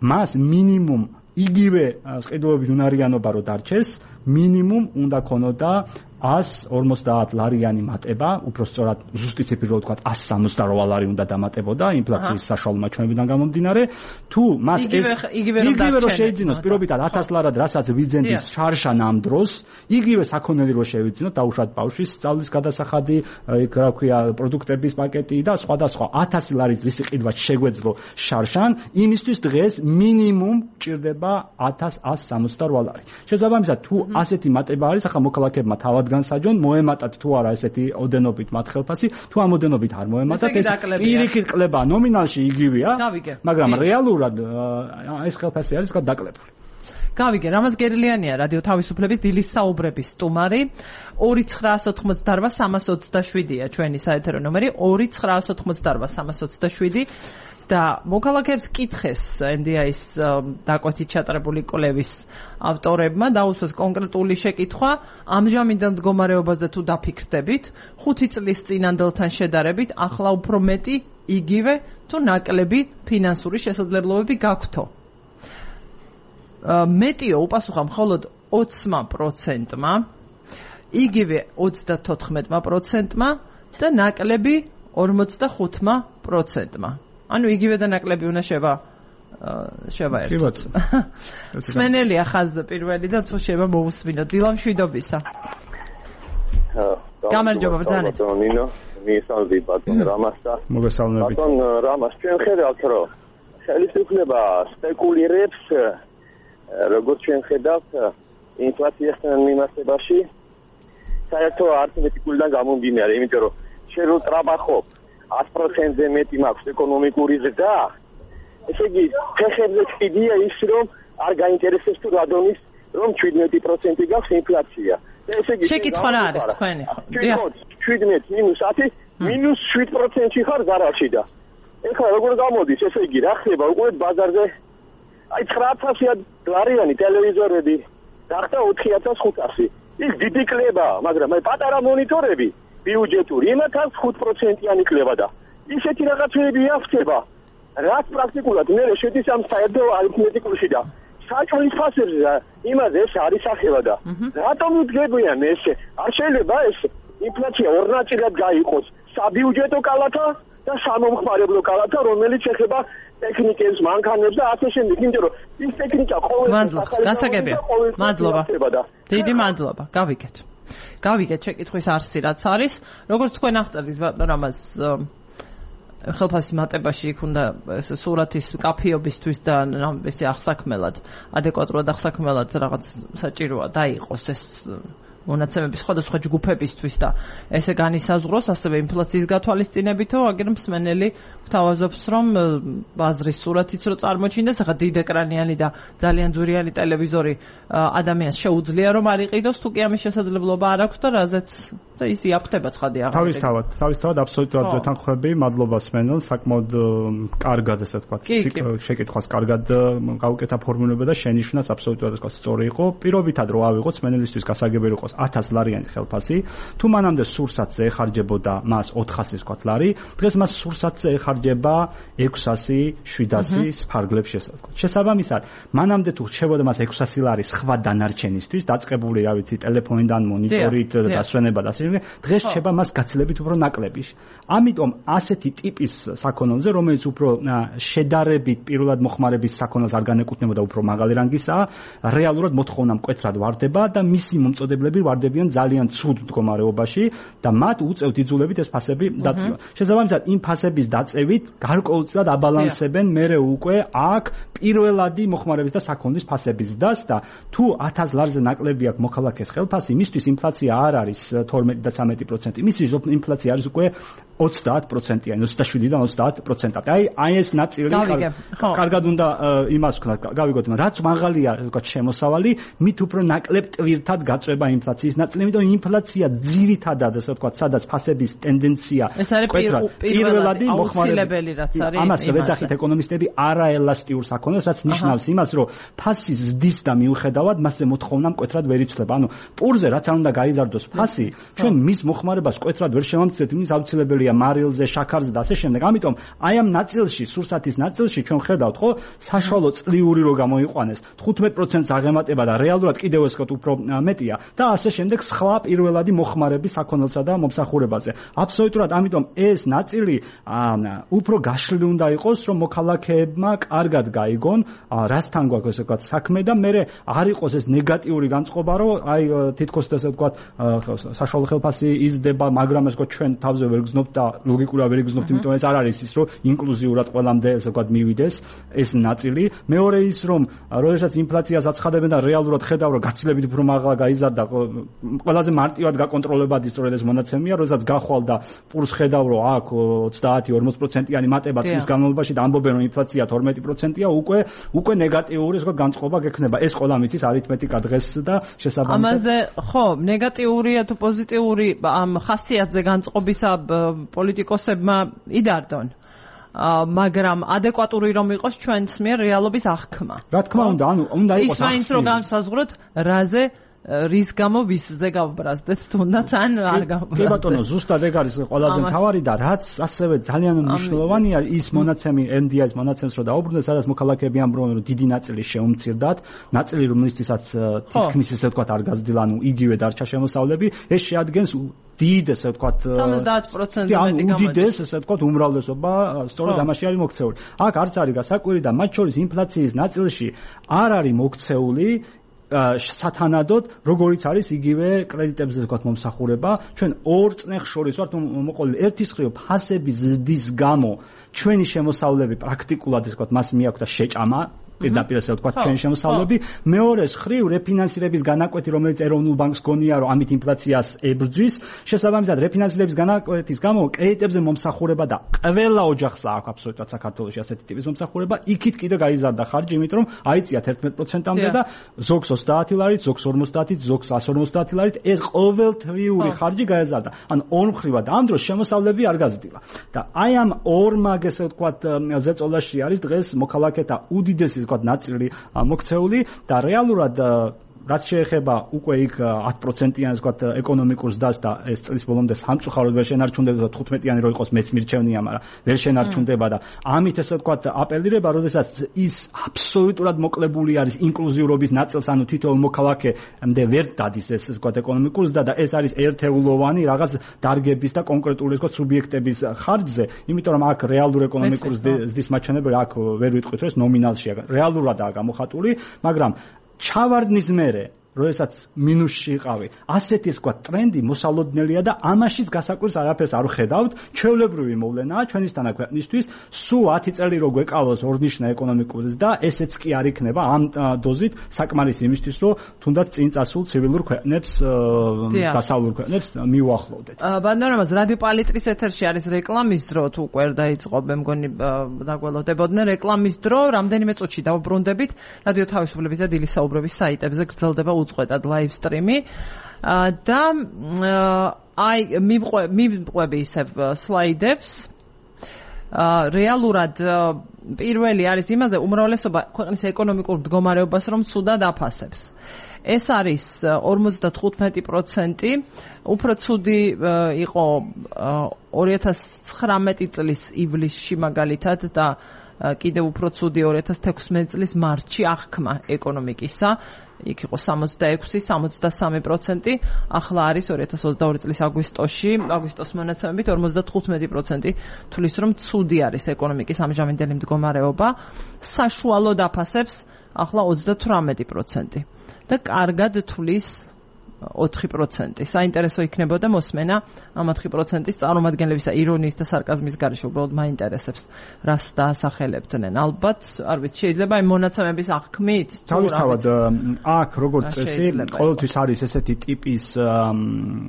B: მას მინიმუმ იგივე სყიდულობით უნარიანობა რო დარჩეს მინიმუმ უნდა ქონოდა ას ორმოცდაათ ლარიანი მატება, უფრო სწორად ზუსტი ციფრი რო ვთქვათ ას სამოცდარვა ლარი უნდა დამატებოდა ინფლაციის საშუალო მაჩვენებიდან გამომდინარე, თუ მას ეს იგივე რო შეიძინოს პირობითად ათას ლარად, რასაც ვიძენდის შარშან ამ დროს, იგივე საქონელი რო შევიძინოთ, დაუშვათ ბავშვის სწავლის გადასახადი, იქ რა ქვია, პროდუქტების პაკეტი და სხვადასხვა ათასი ლარის რისი ყიდვა შეგვეძლო შარშან, იმისთვის დღეს მინიმუმ ჭირდება ათას ას სამოცდარვა ლარი. შესაბამისად, თუ ასეთი მატება არის, ახლა მოქალაქეებმა თავად განსაჯონ მოემატათ თუ არა ესეთი ოდენობით მათ ხელფასი თუ ამ ოდენობით არ მოემატათ ეს პირიქით კლება ნომინალში იგივეა მაგრამ რეალურად ეს ხელფასი არის დაკლებული.
A: გავიგე, რამაზ გერლიანია რადიო თავისუფლების დილის საუბრების სტუმარი ორი ცხრაას ოთხმოცდარვა სამას ოცდაშვიდია ჩვენი საეთერო ნომერი ორი ცხრაას ოთხმოცდარვა სამას ოცდაშვიდი და მოქალაქეებს კითხეს ენ დი აის დაკვეთით ჩატარებული კვლევის ავტორებმა დაუსვეს კონკრეტული შეკითხვა ამჟამინდელ მდგომარეობაზე თუ დაფიქრდებით ხუთი წლის წინანდელთან შედარებით ახლა უფრო მეტი იგივე თუ ნაკლები ფინანსური შესაძლებლობები გაქვთო მეტიო უპასუხა მხოლოდ ოცი პროცენტმა იგივე ოცდათოთხმეტ პროცენტმა და ნაკლები ორმოცდახუთი პროცენტმა ანუ იგივე და ნაკლები უნდა შევა შევა ერთად. სმენელია ხაზზე პირველი და თუ შევა მოусმინო. დილამ შვიდობისა. გამარჯობა ბრძანეთ.
C: ნინო, მისალდი ბატონ რამასა.
B: მოგესალმებით.
C: ბატონ რამას, ჩვენ ხედავთ რომ ხელისუფლება სპეკულირებს როგორც ჩვენ ხედავთ ინფლაციასთან მიმართებაში საერთო არითმეტიკულიდან გამომდინარე, იმიტომ რომ შენ რო ტრაბახობ ათი პროცენტზე მეტი მაქვს ეკონომიკური ზრდა. ესე იგი, ფეხებზე კიდია ის, რომ არ გაინტერესებს თუ რადონის რომ შვიდმეტი პროცენტი გაქვს ინფლაცია. ესე იგი,
A: შეკითხვა რა არის თქვენი?
C: შვიდმეტი მინუს ათი მინუს შვიდ პროცენტი ხარ გარაში და ეხლა როგორ გამოდის, ესე იგი, რა ხდება უკვე ბაზარზე? აი ცხრაათასი ლარიანი ტელევიზორები გახდა ოთხი ათას ხუთასი. ის დიდი კლებაა, მაგრამ აი პატარა მონიტორები ბიუჯეტური იმათაც ხუთ პროცენტიანი კლება და ისეთი რაღაცები ახდება, რაც პრაქტიკულად მე შედის ამ საერთო არითმეტიკულში და საჭმლის ფასებზე იმაზე ეს არის ახება და რატომ იდგებიან ესე? არ შეიძლება ეს ინფლაცია ორ ნაწილად გაიყოს, საბიუჯეტო კალათა და სამომხმარებლო კალათა, რომელიც ეხება ტექნიკებს, მანქანებს და ასე შემდეგ, იმიტომ რომ ის ტექნიკა ყოველთვის
A: გასაგებია. მადლობა. დიდი მადლობა. გავიგეთ. გავიგეთ შეკითხვის არსი რაც არის. როგორც თქვენ აღწერთ ბატონ რამაზ ხელფასის მატებაში იქ უნდა ეს სურათის კაფიობისთვის და ესე ახსაქმელად, ადეკვატურად ახსაქმელად რაღაც საჭიროა დაიყოს ეს მონაცემები სხვადასხვა ჯგუფებისთვის და ესე განისაზღვროს ასევე ინფლაციის გათვალისწინებითო, აგერ მსმენელი გვთავაზობს, რომ ბაზრის სურათიც რო წარმოჩინდეს, ახლა დიდეკრანიანი და ძალიან ძვირიანი ტელევიზორი ადამიანს შეუძლია რომ არ იყიდოს, თუ კი ამის შესაძლებლობა არ აქვს და რაზეც და ის იაფთება ცხადი აღარ.
B: თავისთავად, თავისთავად აბსოლუტურად ვეთანხმები, მადლობა სმენელს, საკმაოდ კარგად ესე ვთქვათ, შეკითხვას კარგად გაუკეთა ფორმულირება და შენიშვნაც აბსოლუტურად ასე ვთქვათ სწორი იყო. პირობითად რო ავიღოთ სმენელისთვის გასაგებია იყოს ათას ლარიანი ხელფასი, თუ მანამდე სურსათზე ეხარჯებოდა მას ოთხასი ვთქვათ ლარი, დღეს მას სურსათზე ეხარჯება ექვსასი, შვიდასი ფარგლებში ესე ვთქვათ. შესაბამისად, მანამდე თუ რჩებოდა მას ექვსასი ლარი სხვა დანარჩენისთვის, დაწყებული რა ვიცი, ტელეფონიდან, მონიტორით, დასვენება და ასე დღეს რჩება მას გაცილებით უფრო ნაკლები. ამიტომ ასეთი ტიპის საქონელზე, რომელიც უფრო შედარებით პირველად მოხმარების საქონელს არ განეკუთვნებოდა, უფრო მაღალი რანგისაა, რეალურად მოთხოვნა მკვეთრად ვარდება და მისი მომწოდებლები ვარდებიან ძალიან ცუდ მდგომარეობაში და მათ უწევთ იძულებით ეს ფასები დაწევა. შესაბამისად, იმ ფასების დაწევით გარკვეულწილად აბალანსებენ მერე უკვე აქ პირველადი მოხმარების და საქონლის ფასების ზრდას და თუ ათას ლარზე ნაკლები აქვს მოქალაქეს ხელფასი, მისთვის ინფლაცია არ არის თორმეტი და ცხრამეტი პროცენტი. მისი ინფლაცია არის უკვე ოცდაათ პროცენტიანი, ოცდაშვიდიდან ოცდაათ პროცენტად. აი, აი ეს ნაწილი კარგად უნდა იმას ვქნათ, გავიგოთ, რაც მაღალია, ასე ვთქვათ, შემოსავალი, მით უფრო ნაკლებ ტვირთად გაწვება ინფლაციის ნაწილი, იმიტომ ინფლაცია ძირითადად, ასე ვთქვათ, სადაც ფასების ტენდენცია
A: პირველადი აუცილებელი რაც არის.
B: ამას ვეძახით ეკონომისტები არაელასტიურ საქონელს, რაც ნიშნავს იმას, რომ ფასის ზრდის და მიუხედავად მასზე მოთხოვნა მკვეთრად ვერ იცვლება. ანუ პურზე რაც არ უნდა გაიზარდოს ფასი, ჩვენ მის მოხმარებას მკვეთრად ვერ შევამცირებთ, იმის აუცილებელია მარილზე, შაქარზე და ასე შემდეგ. ამიტომ აი ამ ნაწილში, სურსათის ნაწილში ჩვენ ხედავთ, ხო, საშუალო წლიური რო გამოიყვანეს, თხუთმეტ პროცენტს აღემატება და რეალურად კიდევ ეს უფრო მეტია და ასე შემდეგ სხვა პირველადი მოხმარების საქონელსა და მომსახურებაზე. აბსოლუტურად, ამიტომ ეს ნაწილი უფრო გაშლილი უნდა იყოს, რომ მოქალაქეებმა კარგად გაიგონ, რასთან გვაქვს ესე ვთქვათ საქმე და მე არ იყოს ეს ნეგატიური განწყობა, რომ აი თითქოს ესე ვთქვათ საშუალო ხელფასი იზრდება, მაგრამ ეს ჩვენ თავზე ვერ გზნობთ და ლოგიკურად ვერ გზნობთ, იმიტომ ეს არ არის ის, რომ ინკლუზიურად ყველამდე ესე ვთქვათ მივიდეს ეს ნაწილი. მეორე ის, რომ როდესაც ინფლაციას აცხადებენ და რეალურად ხედავ, რომ გაცილებით უფრო მაღლა გაიზარდა, ყველაზე მარტივად გაკონტროლებადი სწორედ ეს მონაცემია, როდესაც გახვალ და პურს ხედავ, რომ აქ ოცდაათი ორმოცი პროცენტიანი მატება წლის განმავლობაში და ამბობენ, რომ ინფლაცია თორმეტი პროცენტია, უკვე უკვე ნეგატიური ეს განწყობა გექნება. ეს ყველა მიცის არითმეტიკა დღეს და შესაბამისად.
A: ამაზე ხო, ნეგატიურია თუ პოზიტიური ამ ხასიათზე განწყობისა პოლიტიკოსებმა იდარდონ. მაგრამ ადეკვატური რომ იყოს ჩვენს მიერ რეალობის აღქმა.
B: რა თქმა უნდა, ანუ უნდა იყოს
A: ის მაინც რომ განსაზღვროთ, რაზე რის გამო ვისზე გავბრაზდეთ თუნდაც ან არ გავბრაზდეთ.
B: კი ბატონო, ზუსტად ეგ არის ყველაზე მთავარი და რაც ასევე ძალიან მნიშვნელოვანია ის მონაცემი ენ დი აის მონაცემს რო დაუბრუნდეთ, სადაც მოქალაქეები ამბობენ, რომ დიდი ნაწილი შეუმცირდათ, ნაწილი რომლისთვისაც თითქმის ესე ვთქვათ არ გაზრდილა, ანუ იგივე დარჩა შემოსავლები, ეს შეადგენს დიდ ესე ვთქვათ
A: სამოცდაათ პროცენტი მეტი გამოდის.
B: უდიდეს ესე ვთქვათ უმრავლესობა სწორედ ამაში არის მოქცეული. აქ არც არის გასაკვირი და მათ შორის ინფლაციის ნაწილში არ არის მოქცეული სათანადოდ, როგორიც არის იგივე კრედიტებზე ვთქვათ მომსახურება, ჩვენ ორ წნეხს შორის ვართ მოყოლილი. ერთის მხრივ ფასების ზრდის გამო ჩვენი შემოსავლები პრაქტიკულად ესე ვთქვათ მას მიაქვს და შეჭამა პირდაპირ ასე ვთქვათ, ჩვენი შემოსავლები. მეორეს ხრივ რეფინანსირების განაკვეთი, რომელიც ეროვნულ ბანკს გონია, რომ ამით ინფლაციას ებრძვის, შესაბამისად რეფინანსირების განაკვეთის გამო კრედიტებზე მომსახურება და ყველა ოჯახს აქვს აბსოლუტურად საქართველოში ასეთი ტიპის მომსახურება, იქით კიდე გაიზარდა ხარჯი, იმიტომ რომ აიწია თერთმეტ პროცენტამდე და ზოგს ოცდაათი ლარით, ზოგს ორმოცდაათით, ზოგს εκατს ორმოცდაათი ლარით, ეს ყოველთვიური ხარჯი გაიზარდა. ან ორმხრივად ამ დროს შემოსავლები არ გაზრდილა. და აი ამ ორმაგ ესე ვთქვათ ზეწოლაში არის დღეს მოქალაქეთა უდიდესი ვთქვათ ნაწილი მოქცეული და რეალურად რაც შეეხება უკვე იქ ათი პროცენტიანი ვთქვათ ეკონომიკურ ზრდას და ეს წლის ბოლომდე სამწუხაროდ ვერ შენარჩუნდება თხუთმეტიანი რო იყოს მეც მირჩევნია, მაგრამ ვერ შენარჩუნდება და ამით ესე ვთქვათ აპელირება, როდესაც ის აბსოლუტურად მოკლებული არის ინკლუზიურობის ნაწილს, ანუ თითოეულ მოქალაქემდე ვერ დადის ეს ვთქვათ ეკონომიკურ ზრდა და ეს არის ერთეულოვანი რაღაც დარგების და კონკრეტული ვთქვათ სუბიექტების ხარჯზე, იმიტომ რომ აქ რეალური ეკონომიკური ზრდის მაჩვენებელი აქ ვერ ვიტყვით, რომ ეს ნომინალშია, რეალურადაა გამოხატული, მაგრამ ჩავარდნის მერე, როდესაც მინუსში იყავი, ასეთი ვთქვათ ტრენდი მოსალოდნელია და ამაშიც გასაკვირს არაფერს არ ვხედავთ, ჩვეულებრივი მოვლენაა ჩვენისთანა ქვეყნისთვის, სულ ათი წელი რო გვეკავოს ორნიშნა ეკონომიკური ზრდა, ესეც კი არ იქნება ამ დოზით საკმარისი იმისთვის, რომ თუნდაც წინ წასულ ცივილურ ქვეყნებს, დასავლურ ქვეყნებს მიუახლოვდეთ.
A: ბანდორამას რადიო პალიტრის ეთერში არის რეკლამის დრო, თუ უკვე დაიწყო, მე მგონი დაგველოდებოდნენ რეკლამის დრო, რამდენიმე წუთში დავუბრუნდებით, რადიო თავისუფლების და დილის საუბრების საიტებზე გრძელდება უწყვეტად ლაივ სტრიმი და აი მივყვები ისევ სლაიდებს. რეალურად პირველი არის იმაზე უმრავლესობა ქვეყნის ეკონომიკურ მდგომარეობას რომ ცუდად აფასებს. ეს არის ორმოცდათხუთმეტი პროცენტი, უფრო ცუდი იყო ორი ათას ცხრამეტი წლის ივლისში მაგალითად და კიდევ უფრო ცუდი ორი ათას თექვსმეტი წლის მარტში აღქმა ეკონომიკისა. იქ იყო სამოცდაექვსი სამოცდასამი პროცენტი, ახლა არის ორი ათას ოცდაორი წლის აგვისტოში, აგვისტოს მონაცემებით ორმოცდათხუთმეტი პროცენტი თulis რომ ცუდი არის ეკონომიკის ამჟამინდელი მდგომარეობა, საშუალოდ აფასებს ახლა ოცდათვრამეტი პროცენტი და კარგად თulis ოთხი პროცენტი. საინტერესო იქნებოდა მოსმენა ამ ოთხი პროცენტის წარმომადგენლებისა ირონიის და სარკაზმის გარეშე, უბრალოდ მაინტერესებს რას დაასახელებდნენ. ალბათ, არ ვიცი, შეიძლება იმ მონაცემების აღქმით,
B: თავისთავად აქ როგორც წესი, ყოველთვის არის ესეთი ტიპის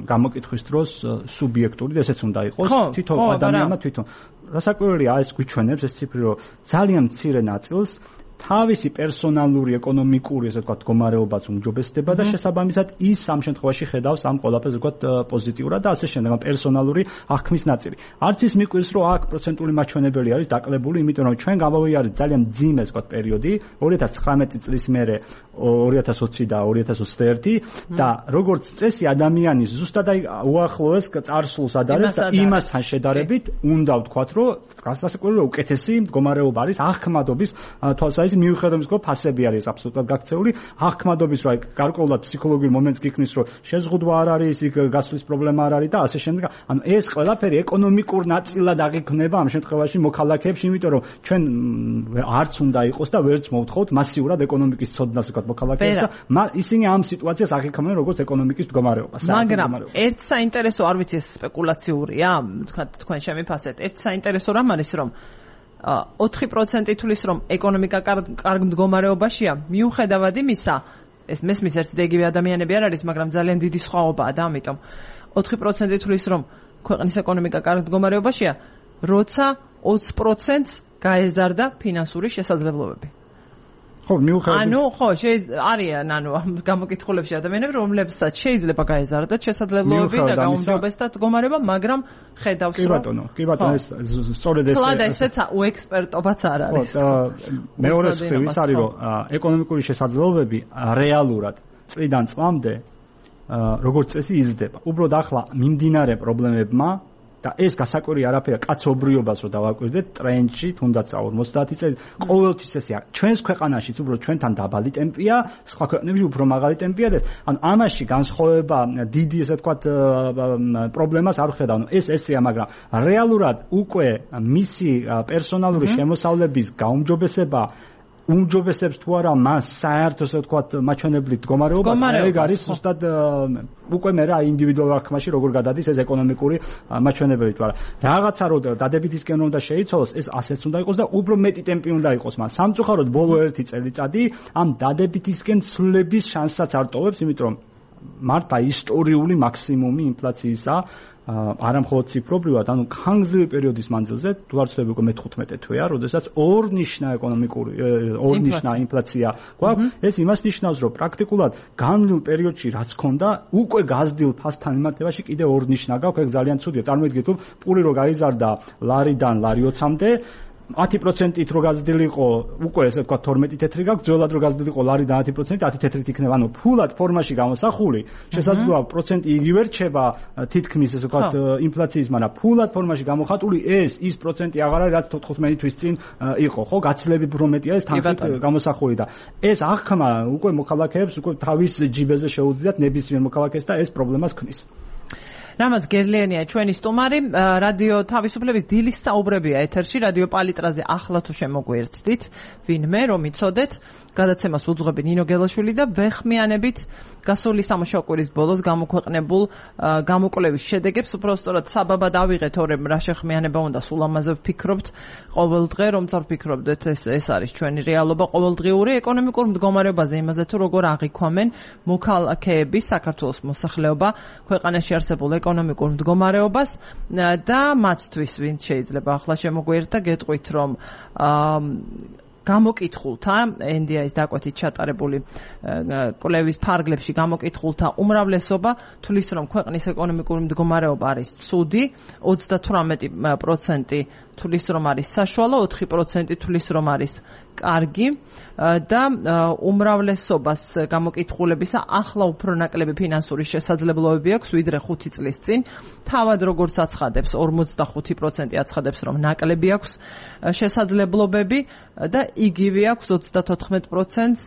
B: გამოკითხვის დროს სუბიექტური, ესეც უნდა იყოს თვითონ ადამიანმა თვითონ. რასაკვირველია, ეს გვიჩვენებს ეს ციფრი, რომ ძალიან მცირე ნაწილს თავისი პერსონალური ეკონომიკური ესე ვთქვათ მდგომარეობაც უმჯობესდება და შესაბამისად ის ამ შემთხვევაში ხედავს ამ ყველაფერს ვთქვათ პოზიტიურად და ასე შემდეგ, პერსონალური აღქმის ნაწილი. არც ის მიკვირს, რომ აქ პროცენტული მაჩვენებელი არის დაკლებული, იმიტომ რომ ჩვენ გამოვიარეთ ძალიან მძიმე ვთქვათ პერიოდი, ორი ათას ცხრამეტი წლის მერე ორი ათას ოცი და ორი ათას ოცდაერთი და როგორც წესი ადამიანის ზუსტად აი უახლოეს წარსულს ადარებს და იმასთან შედარებით უნდა ვთქვათ, რომ გასასაკუთრებით უკეთესი მდგომარეობა არის აღქმადობის თვალსაზრისით მიუხედავად იმისა, რომ ფასები არის აბსოლუტურად გაქცეული, აღქმადობის რა გარკვეულად ფსიქოლოგიურ მომენტს გიქნის, რომ შეზღუდვა არ არის, იქ გასვლის პრობლემა არ არის და ასე შემდეგ. ანუ ეს ყველაფერი ეკონომიკურ ნაწილად აღიქმნება ამ შემთხვევაში მოქალაქეებში, იმიტომ რომ ჩვენ არც უნდა იყოს და ვერც მოვთხოვთ მასიურად ეკონომიკის ცოდნას ვთქვათ მოქალაქეებს და ისინი ამ სიტუაციას აღიქმნენ როგორც ეკონომიკის მდგომარეობას.
A: მაგრამ ერთ საინტერესო, არ ვიცი, ეს სპეკულაციურია, ვთქვათ თქვენ შემიფასეთ, ერთ საინტერესო რამ არის, რომ ოთხი პროცენტი თulis რომ ეკონომიკა კარგ მდგომარეობაშია, მიუხედავად იმისა, ეს მესმის ერთი და იგივე ადამიანები არ არის, მაგრამ ძალიან დიდი სხვაობაა და ამიტომ ოთხი პროცენტი თulis რომ ქვეყნის ეკონომიკა კარგ მდგომარეობაშია, როცა ოცი პროცენტს გაეზარდა ფინანსური შესაძლებლობები.
B: ხო, მიუხედავად
A: ანუ ხო, არიან ანუ გამოკითხულებში ადამიანები, რომლებსაც შეიძლება გაეზარდათ შესაძლებლობები და გაუმჯობესდათ მდგომარეობა, მაგრამ ხედავს
B: რომ კი ბატონო, კი ბატონო, ეს სწორედ ეს
A: თლად ესეც უექსპერტობაც არ არის.
B: ხო, მეორე მხრივ ის არის, რომ ეკონომიკური შესაძლებლობები რეალურად წლიდან წლამდე როგორც წესი იზრდება. უბრალოდ ახლა მიმდინარე პრობლემებმა და ეს გასაკვირი არაფერია, კაცობრიობას რო დავაკვირდეთ ტრენდში, თუნდაც ორმოცდაათი წელი, ყოველთვის ესეა. ჩვენს ქვეყანაშიც უბრალოდ ჩვენთან დაბალი ტემპია, სხვა ქვეყნებში უფრო მაღალი ტემპია და ანუ ამაში განსხვავება დიდი ესე ვთქვათ პრობლემას არ ვხედავ. ანუ ეს ესეა, მაგრამ რეალურად უკვე მისი პერსონალური შემოსავლების გაუმჯობესება უმჯობესებს თუ არა მას საერთოდ ასე ვთქვათ მაჩვენებლით მდგომარეობას, ეგ არის ზუსტად უკვე მე რა ინდივიდუალურ აღქმაში როგორ გადადის ეს ეკონომიკური მაჩვენებლები თუ არა. რაღაცა რო დადებითისკენ უნდა შეიცვალოს, ეს ასეც უნდა იყოს და უფრო მეტი ტემპი უნდა იყოს მას. სამწუხაროდ ბოლო ერთი წელიწადი ამ დადებითისკენ ცვლილების შანსსაც არ ტოვებს, იმიტომ რომ მარტა ისტორიული მაქსიმუმი ინფლაციისა არა მხოლოდ ციფრობრივად, ანუ ხანგრძლივი პერიოდის მანძილზე, თუ არ ვცდები უკვე მეთერთმეტე თვეა, როდესაც ორნიშნა ეკონომიკური ორნიშნა ინფლაცია გვაქვს, ეს იმას ნიშნავს, რომ პრაქტიკულად განვლილ პერიოდში რაც ქონდა, უკვე გაზრდილ ფასთან მიმართებაში კიდე ორნიშნა გაქვს, ეგ ძალიან ცუდია. წარმოიდგინეთ, თუ პური რო გაიზარდა ლარიდან ლარი ოცამდე, ათი პროცენტით რო გაზრდილიყო, უკვე ესე ვთქვათ თორმეტი თეთრი გაქვს, ძველად რო გაზრდილიყო ლარიდან ათი პროცენტით, ათი თეთრით იქნება, ანუ ფულად ფორმაში გამოსახული, შესაძლოა პროცენტი იგივე რჩება თითქმის ესე ვთქვათ ინფლაციის, მაგრამ ფულად ფორმაში გამოხატული ეს ის პროცენტი აღარ არის, რაც თხუთმეტი თვის წინ იყო, ხო? გაცილებით უფრო მეტია ეს თანხით გამოსახული და ეს აღქმა უკვე მოქალაქეებს უკვე თავის ჯიბეზე შეუძლიათ ნებისმიერ მოქალაქეს და ეს პრობლემას ქმნის.
A: რამაც გერლიანია ჩვენი სტუმარი, რადიო თავისუფლების დილის საუბრებია ეთერში, რადიო პალიტრაზე ახლა თუ შემოგვიერთდით, ვინმე რომ იცოდეთ, გადაცემას უძღვები ნინო გელაშვილი და ვეხმიანებით გასული სამუშაო კვირის ბოლოს გამოქვეყნებულ გამოკვლევის შედეგებს, უბრალოდ საბაბად ავიღეთ, ორემ რა შეხმიანება უნდა, სულ ამაზე ვფიქრობთ ყოველდღე, რომ წარფიქრობდეთ, ეს ეს არის ჩვენი რეალობა ყოველდღიური ეკონომიკურ მდგომარეობაზე, იმაზე თუ როგორ აღიქვამენ მოქალაქეები, საქართველოს მოსახლეობა ქვეყანაში არსებულ ეკონომიკურ მდგომარეობას და მათთვის ვინც შეიძლება ახლა შემოგვიერთდა, გეტყვით რომ გამოკითხულთა ენ დი აის დაკვეთით ჩატარებული კვლევის ფარგლებში გამოკითხულთა უმრავლესობა თulis რომ ქვეყნის ეკონომიკური მდგომარეობა არის ცუდი, ოცდათვრამეტი პროცენტი თulis რომ არის საშუალო, ოთხი პროცენტი თulis რომ არის კარგი და უმრავლესობას გამოკითხულებისა ახლა უფრო ნაკლები ფინანსური შესაძლებლობები აქვს ვიდრე ხუთი წლის წინ. თავად როგორც აცხადებს, ორმოცდახუთი პროცენტი აცხადებს, რომ ნაკლები აქვს შესაძლებლობები და იგივე აქვს ოცდათოთხმეტი პროცენტს,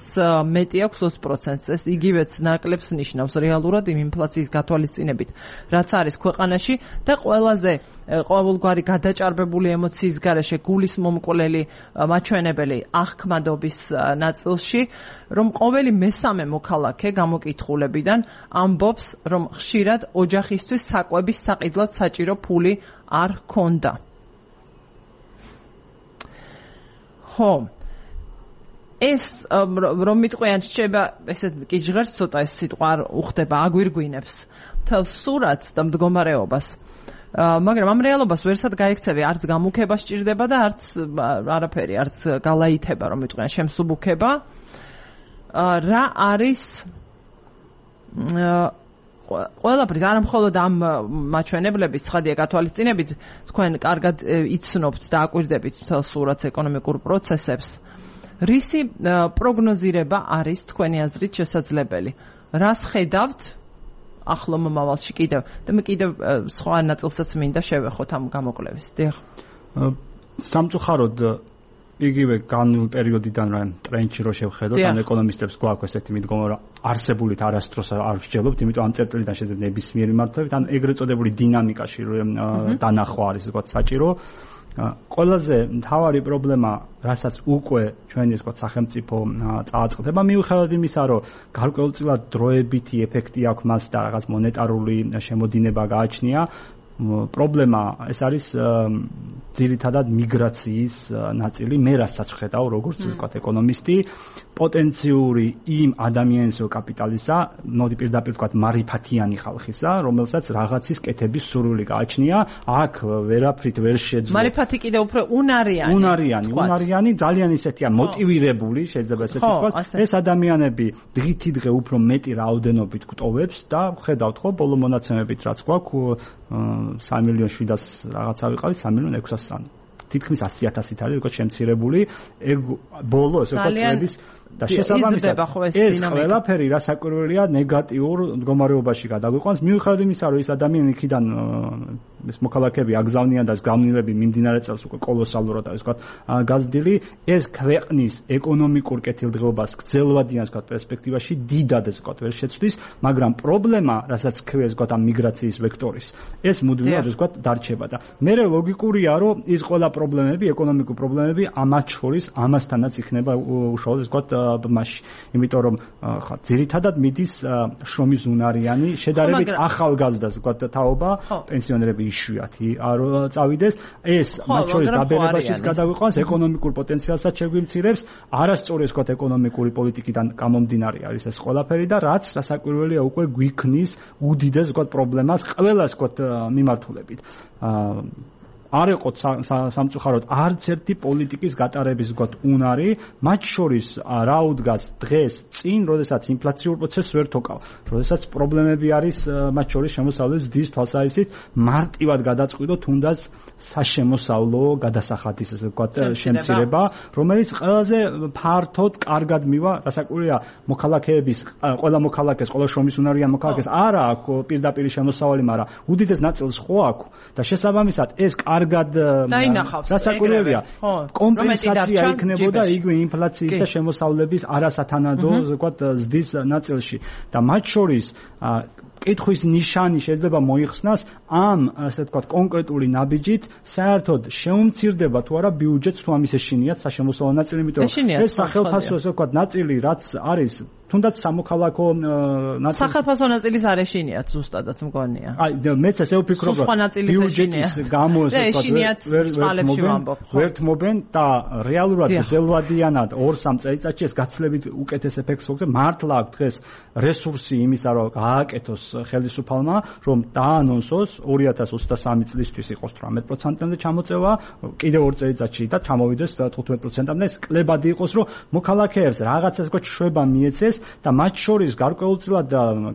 A: მეტი აქვს ოცი პროცენტს. ეს იგივეც ნაკლებს ნიშნავს რეალურად იმ ინფლაციის გათვალისწინებით, რაც არის ქვეყანაში და ყველაზე ყოველგვარი გადაჭარბებული ემოციის გარეშე გულის მომკვლელი მაჩვენებელი აღქმადობის ნაწილში, რომ ყოველი მესამე მოქალაქე გამოკითხულებიდან ამბობს, რომ ხშირად ოჯახისთვის საკვების საყიდლად საჭირო ფული არ ჰქონდა. ხო, ეს რომ მიტყვიან შეიძლება ესეთ კი ჟღერს ცოტა ეს სიტყვა არ უხდება, აგვირგვინებს მთელ სურათს და მდგომარეობას. მაგრამ ამ რეალობას ვერსად გაიქცევი, არც გამუქება სჭირდება და არც არაფერი, არც გალაითება, რომ მიტყვიან შემსუბუქება. რა არის ყველაფრის, არა მხოლოდ ამ მაჩვენებლების, ცხადია გათვალისწინებით, თქვენ კარგად იცნობთ და აკვირდებით მთელ სურათს ეკონომიკურ პროცესებს. რისი პროგნოზირება არის თქვენი აზრით შესაძლებელი? რას ხედავთ ახლო მომავალში კიდევ და მე კიდევ სხვა ნაწილსაც მინდა შევეხოთ ამ გამოკვლევის. დიახ.
B: სამწუხაროდ იგივე განვლილ პერიოდიდან რა ტრენდში რო შევხედოთ, ან ეკონომისტებს გვაქვს ესეთი მიდგომა, რომ არსებულით არასდროს არ ვსჯელობთ, იმიტომ ამ წერტილიდან შეიძლება ნებისმიერი მართლობით, ან ეგრეთ წოდებული დინამიკაში დანახვა არის თქვა საჭირო. ყველაზე მთავარი პრობლემა, რასაც უკვე ჩვენი თქვა სახელმწიფო წააწყდება, მიუხედავად იმისა, რომ გარკვეულწილად დროებითი ეფექტი აქვს მას და რაღაც მონეტარული შემოდინება გააჩნია, პრობლემა ეს არის ძირითადად მიგრაციის ნაწილი. მე რასაც ვხედავ, როგორც ვთქვათ ეკონომისტი, პოტენციური იმ ადამიანის კაპიტალისა, მოდი პირდაპირ ვთქვათ მარიფათიანი ხალხისა, რომელსაც რაღაცის კეთების სურვილი გააჩნია, აქ ვერაფრით ვერ შეძლო.
A: მარიფათი კიდე უფრო უნარიანი.
B: უნარიანი, უნარიანი, ძალიან ისეთია მოტივირებული, შეიძლება ესეც ვთქვათ. ეს ადამიანები დღითი დღე უფრო მეტი რაოდენობით გვტოვებს და ხედავთ ხო, ბოლო მონაცემებით რაც გვაქვს სამი მილიონი შვიდას რაღაცა ვიყავი, სამი მილიონი ექვსასი. თითქმის ასი ათასით არის უკვე შემცირებული. ეგ ბოლო ესე ვთქვათ წლების და შესაბამისად ეს ყველაფერი რასაკვირველია ნეგატიურ მდგომარეობაში გადაგვიყვანს, მიუხედავად იმისა, რომ ეს ადამიანი იქიდან ეს მოქალაქეები აგზავნიან და ეს გამნილები მიმდინარე წელს უკვე კოლოსალურად არის ვთქვათ გაზრდილი, ეს ქვეყნის ეკონომიკურ კეთილდღეობას გრძელვადიან ვთქვათ პერსპექტივაში დიდად ეს ვთქვათ ვერ შეცვლის, მაგრამ პრობლემა, რასაც ქვია ვთქვათ ამ მიგრაციის ვექტორის, ეს მუდმივად ვთქვათ დარჩება და მე ლოგიკურია, რომ ის ყველა პრობლემები, ეკონომიკური პრობლემები ამას შორის ამასთანაც იქნება უშუალოდ ვთქვათ მასში, იმიტომ რომ ხა ძირითადად მიდის შრომის უნარიანი შედარებით ახალგაზრდას ვთქვათ თაობა, პენსიონერები იშვიათი არ წავიდეს, ეს მათ შორის დაბერებაშიც გადავიყვანს, ეკონომიკურ პოტენციალსაც შეგვიმცირებს, არასწორი ვთქვათ ეკონომიკური პოლიტიკიდან გამომდინარე არის ეს ყველაფერი და რაც რასაკვირველია უკვე გვიქმნის უდიდეს ვთქვათ პრობლემას ყველას ვთქვათ მიმართულებით. არ ეყოთ სამწუხაროდ არც ერთი პოლიტიკის გატარების ვთქვათ უნარი, მათ შორის რა უდგას დღეს წინ, როდესაც ინფლაციურ პროცესს ვერ თოკავ, როდესაც პრობლემები არის მათ შორის შემოსავლების დის თვალსაზრისით მარტივად გადაწყვიტო თუნდაც საშემოსავლო გადასახადის ესე ვთქვათ შემცირება, რომელიც ყველაზე ფართოდ კარგად მივა, რასაკვირველია მოქალაქეების ყველა მოქალაქეს, ყველა შრომის უნარიან მოქალაქეს არა აქვს პირდაპირ შემოსავალი, მაგრამ უდიდეს ნაწილს ხო აქვს და შესაბამისად ეს კარგად რასაკვირველია კომპენსაცია იქნებოდა იგივე ინფლაციის და შემოსავლების არასათანადო ვთქვათ ზრდის ნაწილში და მათ შორის კითხვის ნიშანი შეიძლება მოიხსნას ამ ასე ვთქვათ კონკრეტული ნაბიჯით საერთოდ შეუმცირდება თუ არა ბიუჯეტს თუ ამის ეშინიათ საშემოსავლო ნაწილი, იმიტომ რომ ეს სახელმწიფო ასე ვთქვათ ნაწილი რაც არის თუნდაც სამოქალაქო ნაწილი
A: სახელმწიფო ნაწილის არ ეშინიათ ზუსტადაც მგონია.
B: აი მეც ესე ვფიქრობ რომ ბიუჯეტის გამო ასე ვთქვათ ვერთმობენ და რეალურად გრძელვადიანად ორ-სამ წელიწადში ეს გაცილებით უკეთეს ეფექტს მოგცემ. მართლა აქვს დღეს რესურსი იმისა რომ გააკეთოს ხელისუფალმა რომ დაანონსოს ორი ათას ოცდასამი წლისთვის იყოს თვრამეტ პროცენტამდე ჩამოწევა, კიდევ ორ წელიწადში და ჩამოვიდეს თხუთმეტ პროცენტამდე. ეს კლებადი იყოს რომ მოქალაქეებს რაღაცას ვთქვათ შვება მიეცეს და მათ შორის გარკვეულწილად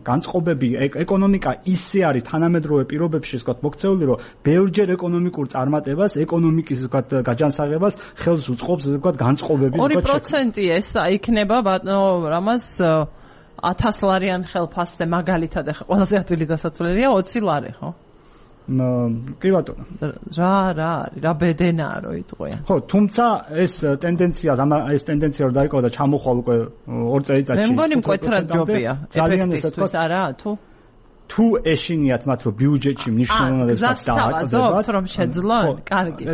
B: განწყობები ეკონომიკა ისე არის თანამედროვე პირობებში ვთქვათ მოქცეული რომ ბევრჯერ ეკონომიკურ წარმატებას, ეკონომიკის ვთქვათ გაჯანსაღებას ხელს უწყობს ვთქვათ განწყობების
A: ორი პროცენტი ეს იქნება ბატონო რამას ათასლარიან ხელფასზე მაგალითად ახლა ყველაზე ადვილი დასაცვლელია ოცი ლარი ხო?
B: კი ბატონო.
A: რა რა რა ბედენაა რო იტყვიან.
B: ხო, თუმცა ეს ტენდენცია, ეს ტენდენცია რო დაიწყო და ჩამოხვალ უკვე ორ წელიწადში.
A: მე მგონი მკვეთრად ჯობია. ეფექტისთვის არაა თუ?
B: თუ ეშინიათ მათ რომ ბიუჯეტში მნიშვნელოვნად
A: დააკავებათ რომ შეძლონ, კარგი.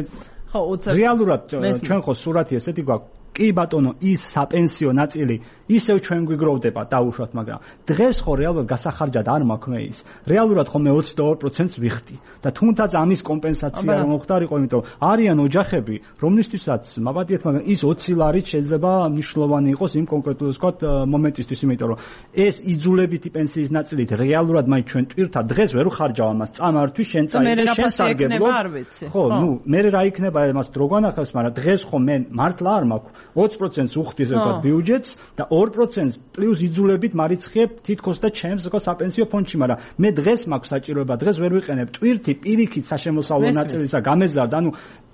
A: ხო, უცებ
B: რეალურად ჩვენ ხო სურათი ესეთი გვაქვს. კი ბატონო, ის საპენსიო ნაწილი ისევ ჩვენ გვიგროვდება დაუშვათ, მაგრამ დღეს ხო რეალურად გასახარჯად არ მაქვს მე ის. რეალურად ხო მე ოცი და ორ პროცენტს ვიხდი და თუნდაც ამის კომპენსაცია რომ მოხდარიყო, იმიტომ არიან ოჯახები, რომლისთვისაც მაბადიეთ, მაგრამ ის ოცი ლარით შეიძლება მნიშვნელოვანი იყოს იმ კონკრეტულ ვთქვათ მომენტისთვის, იმიტომ რომ ეს იძულებითი პენსიის ნაწილით რეალურად მაინც ჩვენ ტვირთად დღეს ვერ ვხარჯავ ამას წამართვის, შენ წაიღე, შენ სარგებლო. ხო, ნუ მე რა იქნება იმას დრო განახავს, მაგრამ დღეს ხო მე მართლა არ მაქვს ოცი პროცენტს უხდის ვთქვათ ბიუჯეტს და ორ პროცენტს პლუს იძულებით მარიცხებ თითქოს და ჩემს ვთქვათ საპენსიო ფონდში, მაგრამ მე დღეს მაქვს საჭიროება, დღეს ვერ ვიყენებ ტვირთი პირიქით საშემოსავლო ნაწილისა გამეზარდა, ანუ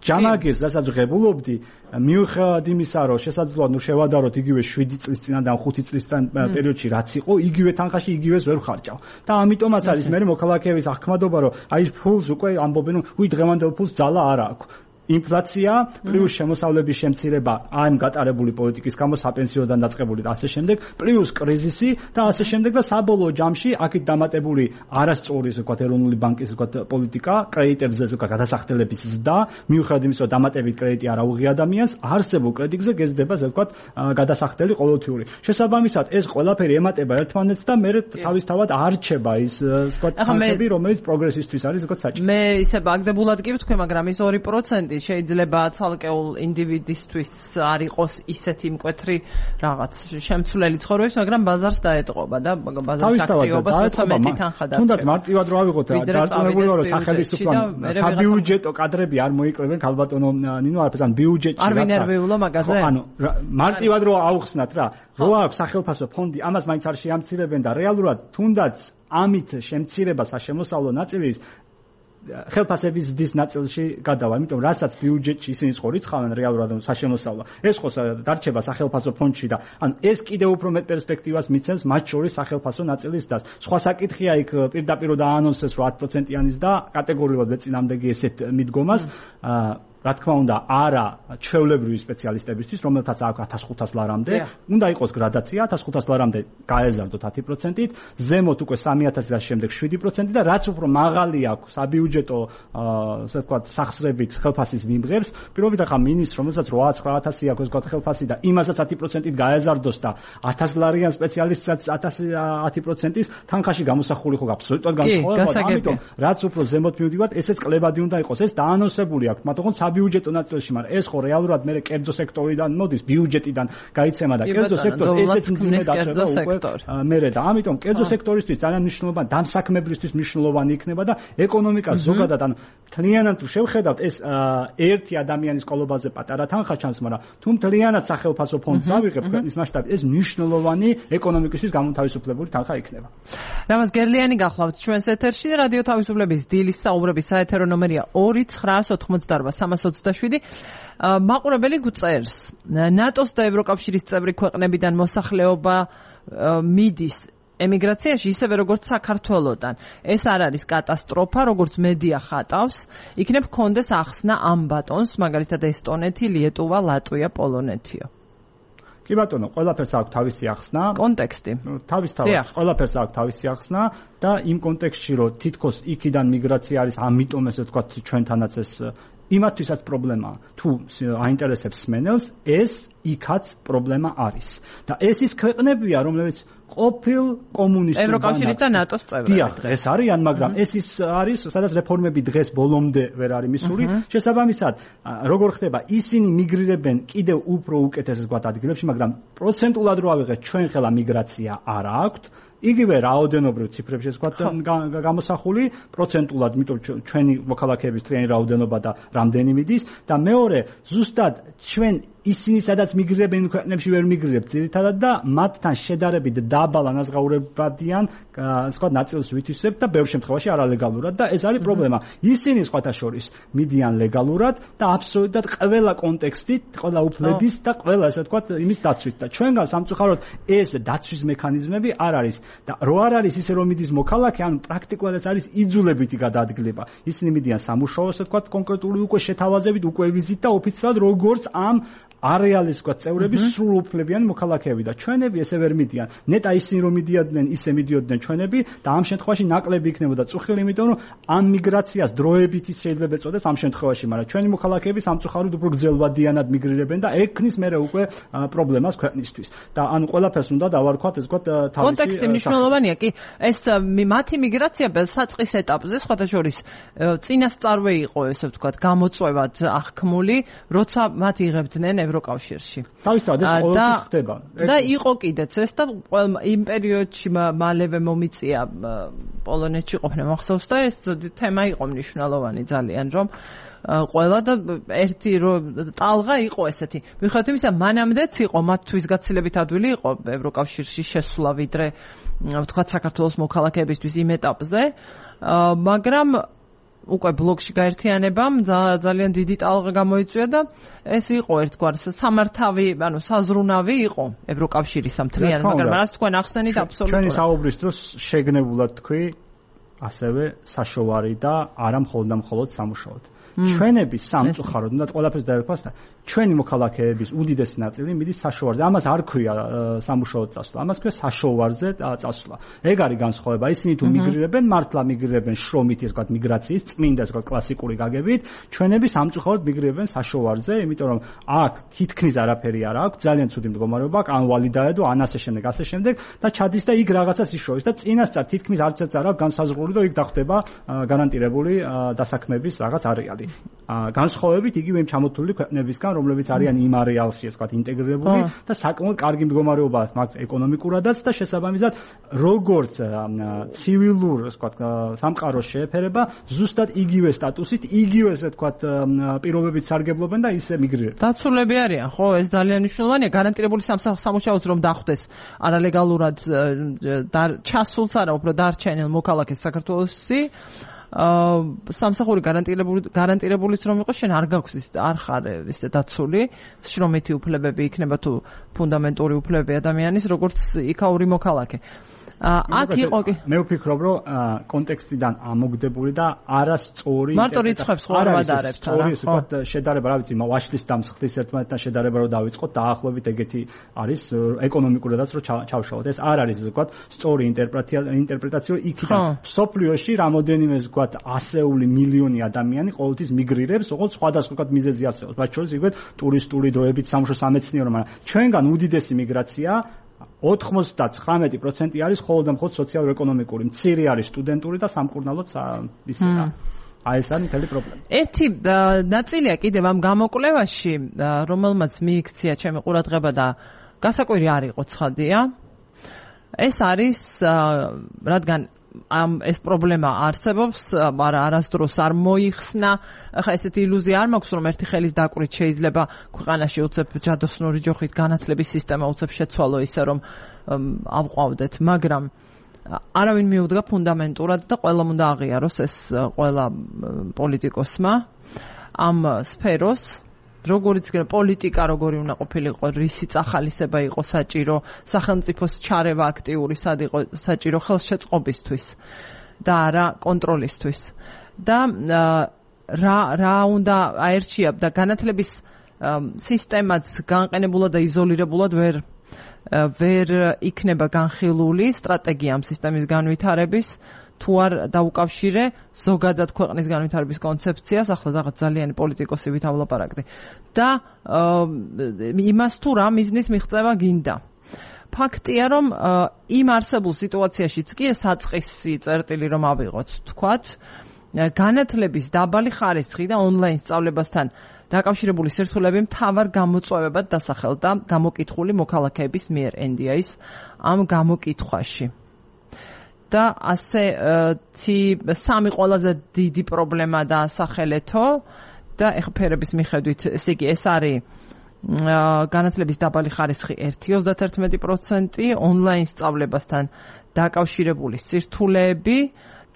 B: ჯამაგირს რასაც ღებულობდი, მიუხედავად იმისა, რომ შესაძლოა ნუ შევადაროთ იგივე შვიდი წლის წინადან ხუთი წლის წინ პერიოდში რაც იყო, იგივე თანხაში იგივეს ვერ ვხარჯავ. და ამიტომაც არის მე მოქალაქეების აღქმადობა, რომ აი ფულს უკვე ამბობენ, უი დღევანდელ ფულს ძალა არ აქვს. ინფლაცია პლუს შემოსავლების შემცირება ამ გატარებული პოლიტიკის გამო საპენსიოდან დაწყებული და ასე შემდეგ, პლუს კრიზისი და ასე შემდეგ და საბოლოო ჯამში აქეთ დამატებული არასწორი ვთქვათ ეროვნული ბანკის ვთქვათ პოლიტიკა, კრედიტებზე ვთქვათ გადასახდელების ზრდა, მიუხედავად იმისა, რომ დამატებით კრედიტი არ აუღია ადამიანს, არსებულ კრედიტზე გეზდება ვთქვათ გადასახდელი ყოველთვიური. შესაბამისად ეს ყველაფერი ემატება ერთმანეთს და მე თავისთავად არჩება ის ვთქვათ თანხები, რომელიც პროგრესისთვის არის ვთქვათ საჭირო.
A: მე ისე ბაგდებულად კი ვთქვი, მაგრამ ის ორი პროცენტი შეიძლება ცალკეულ ინდივიდისთვის არ იყოს ისეთი მკვეთრი რაღაც შემცვლელი ცხოვრების, მაგრამ ბაზარს დაეტყობა და ბაზარს აქტივობას თერთმეტი თანხა დარჩება.
B: თუნდაც მარტივად რო ავიღოთ, დარწმუნებული ვარ, რომ სახელმწიფო საბიუჯეტო კადრები არ მოიკრებენ ქალბატონო ნინო, არაფერს ბიუჯეტში
A: არ ვინერვიულო მაგაზე.
B: ანუ მარტივად რო აუხსნათ რა, რო აქვს სახელმწიფო ფონდი, ამას მაინც არ შეამცირებენ და რეალურად თუნდაც ამით შემცირება საშემოსავლო ნაწილის ხელფასების ზრდის ნაწილში გადავა, იმიტომ რასაც ბიუჯეტში ისინი ხო რიცხავენ რეალურად საშემოსავლა. ეს ხო დარჩება სახელფასო ფონდში და ანუ ეს კიდევ უფრო მეტ პერსპექტივას მიცემს მათ შორის სახელფასო ნაწილის დას. სხვა საკითხია იქ პირდაპირ დაანონსეს რომ ათი პროცენტიანის და კატეგორიულად ეწინამდეგი ესეთ მიდგომას რა თქმა უნდა, არა ჩვეულებრივი სპეციალისტებისთვის, რომელთაც აქვს ათას ხუთას ლარამდე, უნდა იყოს გრადაცია, ათას ხუთას ლარამდე გაეზარდოთ ათი პროცენტით, ზემოთ უკვე სამი ათასი და შემდეგ შვიდი პროცენტი და რაც უფრო მაღალი აქვს საბიუჯეტო, ასე ვთქვათ, სახსრებით ხელფასის მიმღებს, პირობით ახლა მინისტრს, რომელსაც რვა ცხრა ათასი აქვს, ასე ვთქვათ, ხელფასი და იმასაც ათი პროცენტით გაეზარდოს და ათას ლარიან სპეციალისტსაც ათი პროცენტის თანხაში გამოსახული ხო აბსოლუტურად განსხვავებაა, ამიტომ რაც უფრო ზემოთ მივდივართ, ესეც კლებადი უნდა იყოს, ეს დაანონსებული აქვს, მაგრამ ბიუჯეტო ნაწილში, მაგრამ ეს ხო რეალურად მე კერძო სექტორიდან მოდის, ბიუჯეტიდან გაიცემა და კერძო სექტორს ესეც მძიმე დაწება უკვე მერე და ამიტომ კერძო სექტორისთვის ძალიან მნიშვნელოვანი, დამსაქმებლისთვის მნიშვნელოვანი იქნება და ეკონომიკას ზოგადად ან მთლიანად თუ შევხედავთ, ეს ერთი ადამიანის ყოლობაზე პატარა თანხა ჩანს, მაგრამ თუ მთლიანად სახელფასო ფონდს ავიღებ ქვეყნის მასშტაბით, ეს მნიშვნელოვანი ეკონომიკისთვის გამოთავისუფლებული თანხა იქნება.
A: რამაზ გერლიანი გახლავთ ჩვენს ეთერში, რადიო თავისუფლების დილის საუბრების საეთერო ნომერია ორი ცხრაას ოცდაორბა სამას ოცდაშვიდი. მაყურებელი გვწერს, ნატოს და ევროკავშირის წევრი ქვეყნებიდან მოსახლეობა მიდის ემიგრაციაში ისევე როგორც საქართველოდან. ეს არ არის კატასტროფა, როგორც მედია ხატავს. იქნებ კონდეს ახსნა ამ ბატონს, მაგალითად ესტონეთი, ლიეტუვა, ლატვია, პოლონეთიო.
B: კი ბატონო, ყველაფერს აქვს თავისი ახსნა.
A: კონტექსტი.
B: თავისთავად, ყველაფერს აქვს თავისი ახსნა და იმ კონტექსტში, რომ თითქოს იქიდან მიგრაცია არის, ამიტომ ესე ვთქვათ, ჩვენთანაც ეს იმათვისაც პრობლემაა. თუ აინტერესებს სმენელს, ეს იქაც პრობლემა არის. და ეს ის ქვეყნებია, რომლებიც ყოფილ კომუნისტურ
A: ევროკავშირის და ნატოს წევრები.
B: დიახ, ეს არიან, მაგრამ ეს ის არის, სადაც რეფორმები დღეს ბოლომდე ვერ არის მისული. შესაბამისად, როგორ ხდება, ისინი მიგრირებენ კიდევ უფრო უკეთეს ვთქვათ ადგილებში, მაგრამ პროცენტულად რო ავიღეთ, ჩვენ ხელა მიგრაცია არ აქვთ. იგივე რაოდენობრივ ციფრებში ეს ვთქვათ გამოსახული პროცენტულად, იმიტომ ჩვენი მოქალაქეების თლიანი რაოდენობა და რამდენი მიდის და მეორე, ზუსტად ჩვენ ისინი სადაც მიგრირებენ ქვეყნებში ვერ მიგრირებთ ძირითადად და მათთან შედარებით დაბალ ანაზღაურებადიან სხვა ნაწილს ვითვისებთ და ბევრ შემთხვევაში არალეგალურად და ეს არის პრობლემა. ისინი სხვათა შორის მიდიან ლეგალურად და აბსოლუტურად ყველა კონტექსტით, ყველა უფლების და ყველა ესე ვთქვათ იმის დაცვით და ჩვენგან სამწუხაროდ ეს დაცვის მექანიზმები არ არის და რო არ არის ისე რომ მიდის მოქალაქე, ანუ პრაქტიკულად ეს არის იძულებითი გადაადგილება. ისინი მიდიან სამუშაო ესე ვთქვათ კონკრეტული უკვე შეთავაზებით, უკვე ვიზით და ოფიციალურად როგორც ამ არეალის ვთქვათ წევრების სრულ უფლებიანი მოქალაქეები და ჩვენები ესე ვერ მიდიან. ნეტა ისინი რომ მიდიოდნენ, ისე მიდიოდნენ ჩვენები და ამ შემთხვევაში ნაკლები იქნებოდა წუხილი, იმიტომ რომ ამ მიგრაციას დროებით ის შეიძლება ეწოდეს ამ შემთხვევაში, მაგრამ ჩვენი მოქალაქეები სამწუხაროდ უფრო გრძელვადიანად მიგრირებენ და ექნის მერე უკვე პრობლემას ქვეყნისთვის. და ანუ ყველაფერს უნდა დავარქვათ ეს ვთქვათ თავისი
A: კონტექსტი მნიშვნელოვანია, კი, ეს მათი მიგრაცია საწყის ეტაპზე სხვათა შორის წინასწარვე იყო ესე ვთქვათ გამოწვევად აღქმული, როცა მათ იღებდნენ ევროკავშირში.
B: თავისთავად ეს ყოველთვის ხდება.
A: და იყო კიდეც ეს და იმ პერიოდში მალევე მომიწია პოლონეთში ყოფნა მახსოვს და ეს თემა იყო მნიშვნელოვანი ძალიან, რომ ყველა და ერთი ტალღა იყო ესეთი. მიუხედავად იმისა, მანამდეც იყო მათთვის გაცილებით ადვილი იყო ევროკავშირში შესვლა, ვიდრე ვთქვათ საქართველოს მოქალაქეებისთვის იმ ეტაპზე, მაგრამ უკვე ბლოკში გაერთიანებამ ძალიან დიდი ტალღა გამოიწვია და ეს იყო ერთგვარი სამართავი, ანუ საზრუნავი იყო ევროკავშირის მთლიანად, მაგრამ რაც თქვენ ახსენით აბსოლუტურად.
B: ჩვენი საუბრის დროს შეგნებულად თქვი ასევე საშოვარი და არა მხოლოდ და მხოლოდ სამუშაოდ. ჩვენების სამწუხაროდ უნდა ყველაფერს დაერქვას და ჩვენი მოქალაქეების უდიდესი ნაწილი მიდის საშოვარზე. ამას არ ქვია სამუშაოდ წასვლა, ამას ქვია საშოვარზე წასვლა. ეგ არის განსხვავება. ისინი თუ მიგრირებენ, მართლა მიგრირებენ შრომით, ეს ვთქვათ მიგრაციის წმინდა, ეს ვთქვათ კლასიკური გაგებით, ჩვენები სამწუხაროდ მიგრირებენ საშოვარზე, იმიტომ რომ აქ თითქმის არაფერი არ აქვს, ძალიან ცუდი მდგომარეობა, ან ვალი დაედო, ან ასე შემდეგ, ასე შემდეგ და ჩადის და იქ რაღაცას იშოვის და წინასწარ თითქმის არც ერთ არ აქვს განსაზღვრული და იქ დახვდება გარანტირებული დასაქმების რაღაც არეალი. განსხვავებით იგივე იმ ჩამოთვლილი ქვეყნებისგან, რომლებიც არიან იმ არეალში, ასე ვთქვათ, ინტეგრირებული და საკმაოდ კარგი მდგომარეობა აქვს ეკონომიკურადაც და შესაბამისად, როგორც ცივილურ, ასე ვთქვათ, სამყაროს შეეფერება, ზუსტად იგივე სტატუსით, იგივე, ასე ვთქვათ, პირობებით სარგებლობენ და ისე მიგრირებენ.
A: დაცულები არიან, ხო, ეს ძალიან მნიშვნელოვანია, გარანტირებული სამუშაოც რომ დახვდეს არალეგალურად ჩასულს არა, უფრო დარჩენილ მოქალაქეს საქართველოსში. აა სამსახური გარანტირებული გარანტირებულიც რომ იყოს, შენ არ გაქვს ის არ ხარ ისე დაცული, შრომითი უფლებები იქნება თუ ფუნდამენტური უფლებები ადამიანის, როგორც იქაური მოქალაქე. აქ იყო კი
B: მე ვფიქრობ რომ კონტექსტიდან ამოგდებული და არასწორი
A: მარტო რიცხვებს ხوار ვადარებთ რა
B: სწორი ვთქვათ შედარება რა ვიცი ვაშლის დამსხდის ერთმანეთთან შედარება რომ დავიწყოთ დაახლოებით ეგეთი არის ეკონომიკურადაც რომ ჩავშალოთ ეს არ არის ვთქვათ სწორი ინტერპრეტაცია ინტერპრეტაცია იქიდან სოფლიოში რამოდენიმე ვთქვათ ასეული მილიონი ადამიანი ყოველთვის მიგრირებს ოღონდ სხვადასხვა ვთქვათ მიზეზი არსებობს მათ შორის იგივე ტურისტული დროებით სამშო სამეცნიერო მაგრამ ჩვენგან უდიდესი მიგრაცია ოთხმოცდაცხრამეტი პროცენტი არის მხოლოდ და მხოლოდ სოციალურ-ეკონომიკური, მცირე არის სტუდენტური და სამკურნალოც ისე რა. აი ეს არის მთელი პრობლემა.
A: ერთი ნაწილია კიდევ ამ გამოკვლევაში, რომელმაც მიიქცია ჩემი ყურადღება და გასაკვირი არ იყო ცხადია. ეს არის რადგან ამ ეს პრობლემა არსებობს, მაგრამ არასდროს არ მოიხსნა. ახლა ესეთი ილუზია არ მაქვს, რომ ერთი ხელის დაკვრით შეიძლება ქვეყანაში უცებ ჯადოსნური ჯოხით განათლების სისტემა უცებ შეცვალო ისე რომ ავყვავდეთ, მაგრამ არავინ მიუდგა ფუნდამენტურად და ყველამ უნდა აღიაროს ეს ყველა პოლიტიკოსმა ამ სფეროს როგორც პოლიტიკა როგორი უნდა ყოფილიყო, რისი წახალისება იყო საჭირო, სახელმწიფოს ჩარევა აქტიური სად იყო საჭირო ხელშეწყობისთვის და არა კონტროლისთვის. და რა რა უნდა აერჩია და განათლების სისტემაც განყენებულად და იზოლირებულად ვერ ვერ იქნება განხილული სტრატეგია ამ სისტემის განვითარების თუ არ დაუკავშირე ზოგადად ქვეყნის განვითარების კონცეფციას, ახლა რაღაც ძალიანი პოლიტიკოსი ვით ავლაპარაკდი. და იმას თუ რა მიზნის მიღწევა გინდა. ფაქტია, რომ იმ არსებულ სიტუაციაშიც კი საწყისი წერტილი რომ ავიღოთ, თქვათ, განათლების დაბალი ხარისხი და ონლაინ სწავლებასთან დაკავშირებული სირთულეები მთავარ გამოწვევებად დასახელდა გამოკითხული მოქალაქეების მიერ ენ დი ეის ამ გამოკითხვაში. და ასე სამი ყველაზე დიდი პრობლემა დაასახელეთო და ეხლა ფერების მიხედვით ესე იგი ეს არის განათლების დაბალი ხარისხი ერთი ოცდაათერთმეტი პროცენტი, ონლაინ სწავლებასთან დაკავშირებული სირთულეები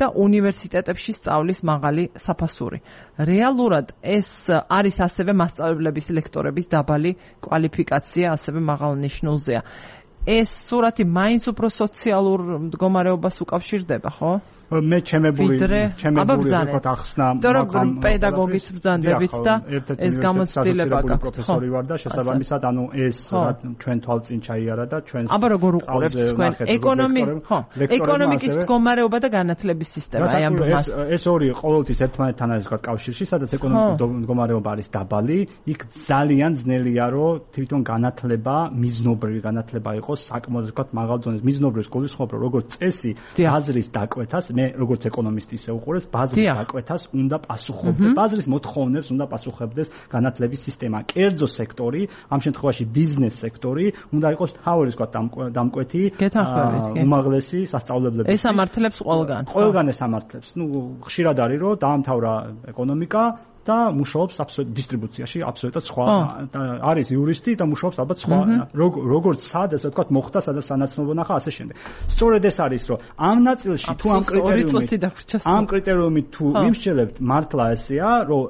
A: და უნივერსიტეტებში სწავლის მაღალი საფასური. რეალურად ეს არის ასევე მასწავლებლების ლექტორების დაბალი კვალიფიკაცია, ასევე მაღალ ნიშნულზეა. ეს სურათი მაინც უფრო სოციალურ მდგომარეობას უკავშირდება, ხო?
B: მე ჩემებული ჩემებული ვთქვათ ახსნა
A: მაგრამ პედაგოგიც ბრძანდებით და ეს გამოცდილება გაქვთ.
B: პროფესორი ვარ და შესაბამისად ანუ ეს ჩვენ თვალწინ ჩაიარა და ჩვენს
A: აბა როგორ უყურებთ თქვენ ეკონომიკ ხო ეკონომიკის მდგომარეობა და განათლების სისტემა აი ამ მას
B: ეს ორი ყოველთვის ერთმანეთთან არის ვთქვათ კავშირში, სადაც ეკონომიკური მდგომარეობა არის დაბალი, იქ ძალიან ძნელია რომ თვითონ განათლება მიზნობრივი განათლება იყოს საკმაოდ ვთქვათ მაღალ დონეზე. მიზნობრივი გულისხმობ რომ როგორც წესი ბაზრის დაკვეთას მე როგორც ეკონომისტი ისე უყურეს ბაზრის დაკვეთას უნდა პასუხობდეს, ბაზრის მოთხოვნებს უნდა პასუხებდეს განათლების სისტემა. კერძო სექტორი, ამ შემთხვევაში ბიზნეს სექტორი უნდა იყოს თავის ვთქვათ დამკვეთი უმაღლესი სასწავლებლები.
A: ეს ამართლებს ყველგან.
B: ყველგან ეს ამართლებს. ნუ ხშირად არის რომ დაამთავრა ეკონომიკა და მუშაობს აბსოლუტ დისტრიბუციაში აბსოლუტურად სხვა არის იურისტი და მუშაობს ალბათ სხვა როგორც სად ესე ვთქვათ მოხდა სადაც სანაცნობო ნახა ასე შემდეგ. სწორედ ეს არის რომ ამ ნაწილში თუ ამ კრიტერიუმით ამ კრიტერიუმით თუ იმსჯელებთ მართლა ესეა რომ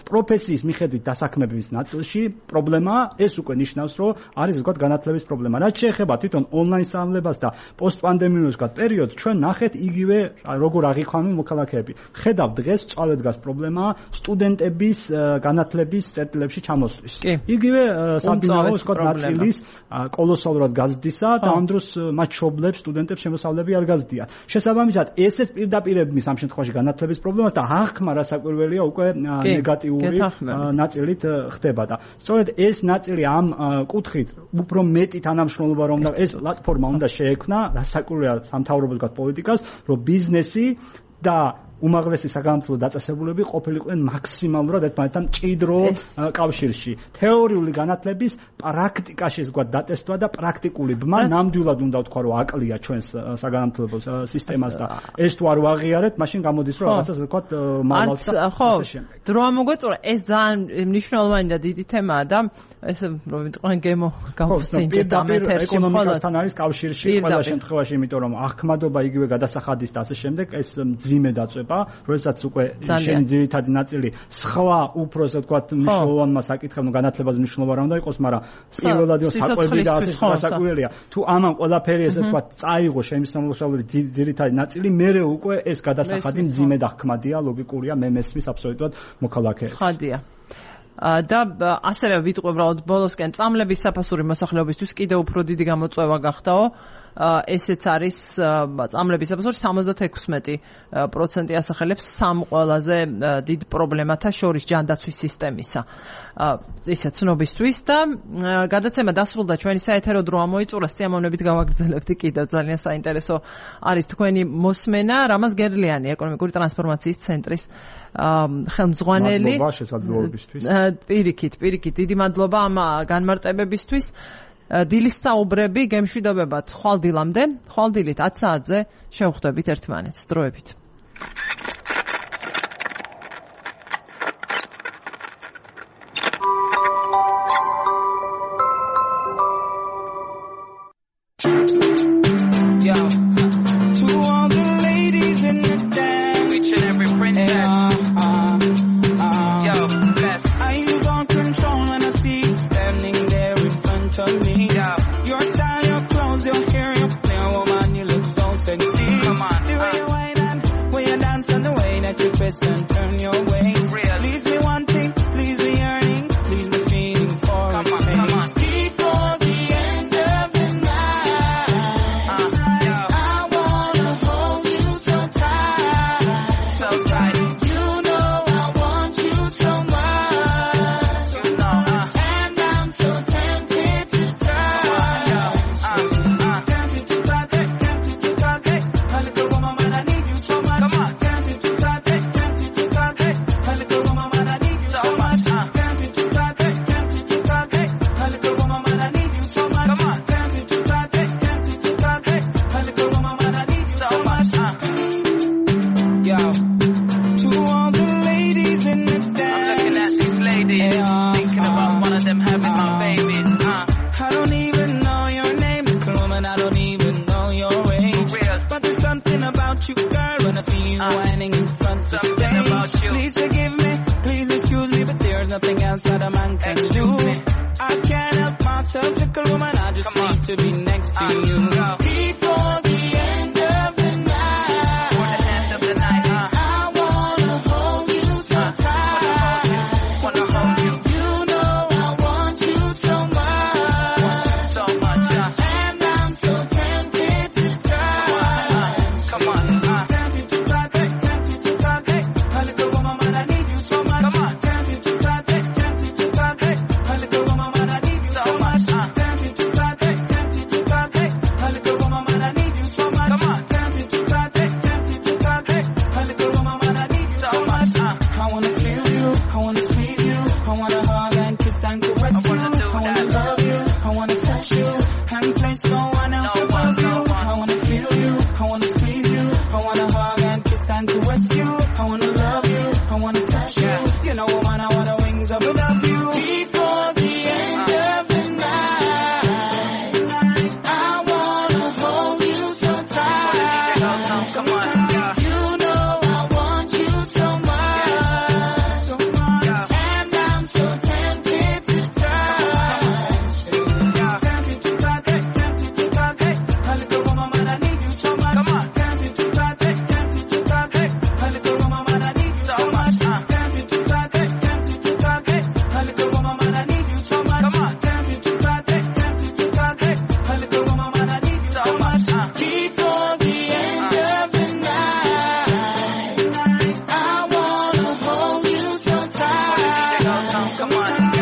B: პროფესიის მიხედვით დასაქმების ნაწილში პრობლემა ეს უკვე ნიშნავს რომ არის ვთქვათ განათლების პრობლემა. რაც შეეხება თვითონ ონლაინ სწავლებას და პოსტპანდემიურ ვთქვათ პერიოდს ჩვენ ნახეთ იგივე როგორ აღიქვამენ მოქალაქეები. ხედავთ დღეს სწავლეთ დგას პრობლემა სტუდენტების განათლების წერტილებში ჩამოსვლის. იგივე საბინაო ვთქვათ ნაწილის კოლოსალურად გაზრდისა და ამ დროს მათ შობლებს სტუდენტებს შემოსავლები არ გაზრდიან. შესაბამისად ესეც პირდაპირებმის ამ შემთხვევაში განათლების პრობლემას და აღქმა რასაკვირველია უკვე ნეგატიური ნაწილით ხდება და სწორედ ეს ნაწილი ამ კუთხით უფრო მეტი თანამშრომლობა რომ და ეს პლატფორმა უნდა შეექმნა რასაკვირველია სამთავრობო ვთქვათ პოლიტიკას რომ ბიზნესი და უმაღლესი საგანმანათლებლო დაწესებულებები ყოფილიყვნენ მაქსიმალურად ერთმანეთთან მჭიდრო კავშირში. თეორიული განათლების პრაქტიკაში ვთქვათ დატესტვა და პრაქტიკული ბმა ნამდვილად უნდა ვთქვა რომ აკლია ჩვენს საგანმანათლებლო სისტემას და ეს თუ არ ვაღიარეთ, მაშინ გამოდის რომ რაღაცას ვთქვათ მალავს და ასე შემდეგ.
A: დრო ამოგვეწურა ეს ძალიან მნიშვნელოვანი და დიდი თემაა და ესე რომ ვიტყვენ გემო გავხსნით და ამეთერში
B: ეკონომიკასთან არის კავშირში ყველა შემთხვევაში, იმიტომ რომ აღქმადობა იგივე გადასახადის და ასე შემდეგ ეს მძიმე დაწვება ცოტა, როდესაც უკვე შენი ძირითადი ნაწილი სხვა უფრო ასე ვთქვათ მნიშვნელოვანმა საკითხებმა განათლებაზე მნიშვნელოვანი არ უნდა იყოს, მაგრამ პირველად საკვები და ასე გასაკვირველია. თუ ამან ყველაფერი ასე ვთქვათ წაიღო შემსწავლებელი ძირითადი ნაწილი, მერე უკვე ეს გადასახადი მძიმე და ხმადია, ლოგიკურია, მე მესმის აბსოლუტურად მოქალაქეებს.
A: ხადია. და ასევე ვიტყვი უბრალოდ ბოლოსკენ წამლების საფასური მოსახლეობისთვის კიდევ უფრო დიდი გამოწვევა გახდაო. ესეც არის წამლების საფასური სამოცდაექვსმეტი პროცენტი ასახელებს სამ ყველაზე დიდ პრობლემათა შორის ჯანდაცვის სისტემისა. ისა ცნობისთვის და გადაცემა დასრულდა ჩვენი საეთერო დრო ამოიწურა, სიამოვნებით გავაგრძელებთ კიდევ ძალიან საინტერესო არის თქვენი მოსმენა. რამაზ გერლიანი ეკონომიკური ტრანსფორმაციის ცენტრის ხელმძღვანელი.
B: მადლობა შესაძლებლობისთვის.
A: პირიქით, პირიქით, დიდი მადლობა ამ განმარტებებისთვის. დილის საუბრები გემშვიდობებათ ხვალ დილამდე, ხვალ დილით ათი საათზე შევხვდებით ერთმანეთს. დროებით.
D: Yo, to all the ladies in the dance, each and every princess. Uh, uh, uh, Yo, bless. I lose all control when I see you standing there in front of me. Yo, your style, your clothes, your hair, your play, woman, you look so sexy. Come on, the way you whine and way you dance and the way that you twist and turn your waist. Real. Leaves me wanting, leaves me yearning, leaves me feeling for a taste. Come on. Before the end of the night, uh, yo. I wanna hold you so tight, so tight. You know I want you so much, you know, uh, and I'm so tempted to try. Yo, uh, uh, tempted to try, tempted to try. A little woman, man, I need you so much. Come on, tempted to try, tempted to try. A little woman, man, I need you so much. Tempted to try, tempted to try. A little woman, man, I need you so much. Come on, tempted to try, tempted to try. A little woman, man, I need you so much. Yo, to all the ladies in the dance, I'm looking at these ladies, yeah, thinking about uh, one of them having uh, my babies. Uh. I don't even know your name, little woman, I don't even know your age. Real. But there's something about you, girl, when I see you uh, whining in front of the stage. About you. Please forgive me, please excuse me, but there's nothing else that a man can excuse do. Me. I can't help myself, little woman, I just Come need on. to be next to uh, you. Go. Before the end of the night, before the end of the night, uh, I wanna hold you so uh, tight. Wanna hold you, you know I want you so much, want you so much, uh, and I'm so tempted to try. Come on, uh, tempted to try, tempted to try. A little woman, man, I need you so much. Come on, tempted to try, tempted to try. A little woman, man, I need you so much. Uh, tempted to try, tempted to try. A little woman, man, I need you so much. Come on, tempted to try, tempted to try. A little woman, man, I need you so much. Uh, I wanna feel you, I wanna squeeze you, I wanna hug and kiss and caress you, I wanna love you, I wanna touch you, and place no one else no above one, you. No I wanna feel you, I wanna squeeze you, I wanna hug and kiss and caress you, I wanna love you, I wanna touch you. You know, woman, I wanna wings up above you. Before the end uh. of the night, I wanna hold you so tight. Come on, yeah. You know I want you so much, so much, yeah. And I'm so tempted to try. Yeah. Tempted to try, tempted to try. A little woman, man, I need you so much. Come on, tempted to try, tempted to try. A little woman, man, I need you so much. Tempted to try, tempted to try. A little woman, man, I need you so much. Come on, tempted to try, tempted to try. A little woman, man, I need you so much. Before the end of the night, I wanna hold you so tight. Come on.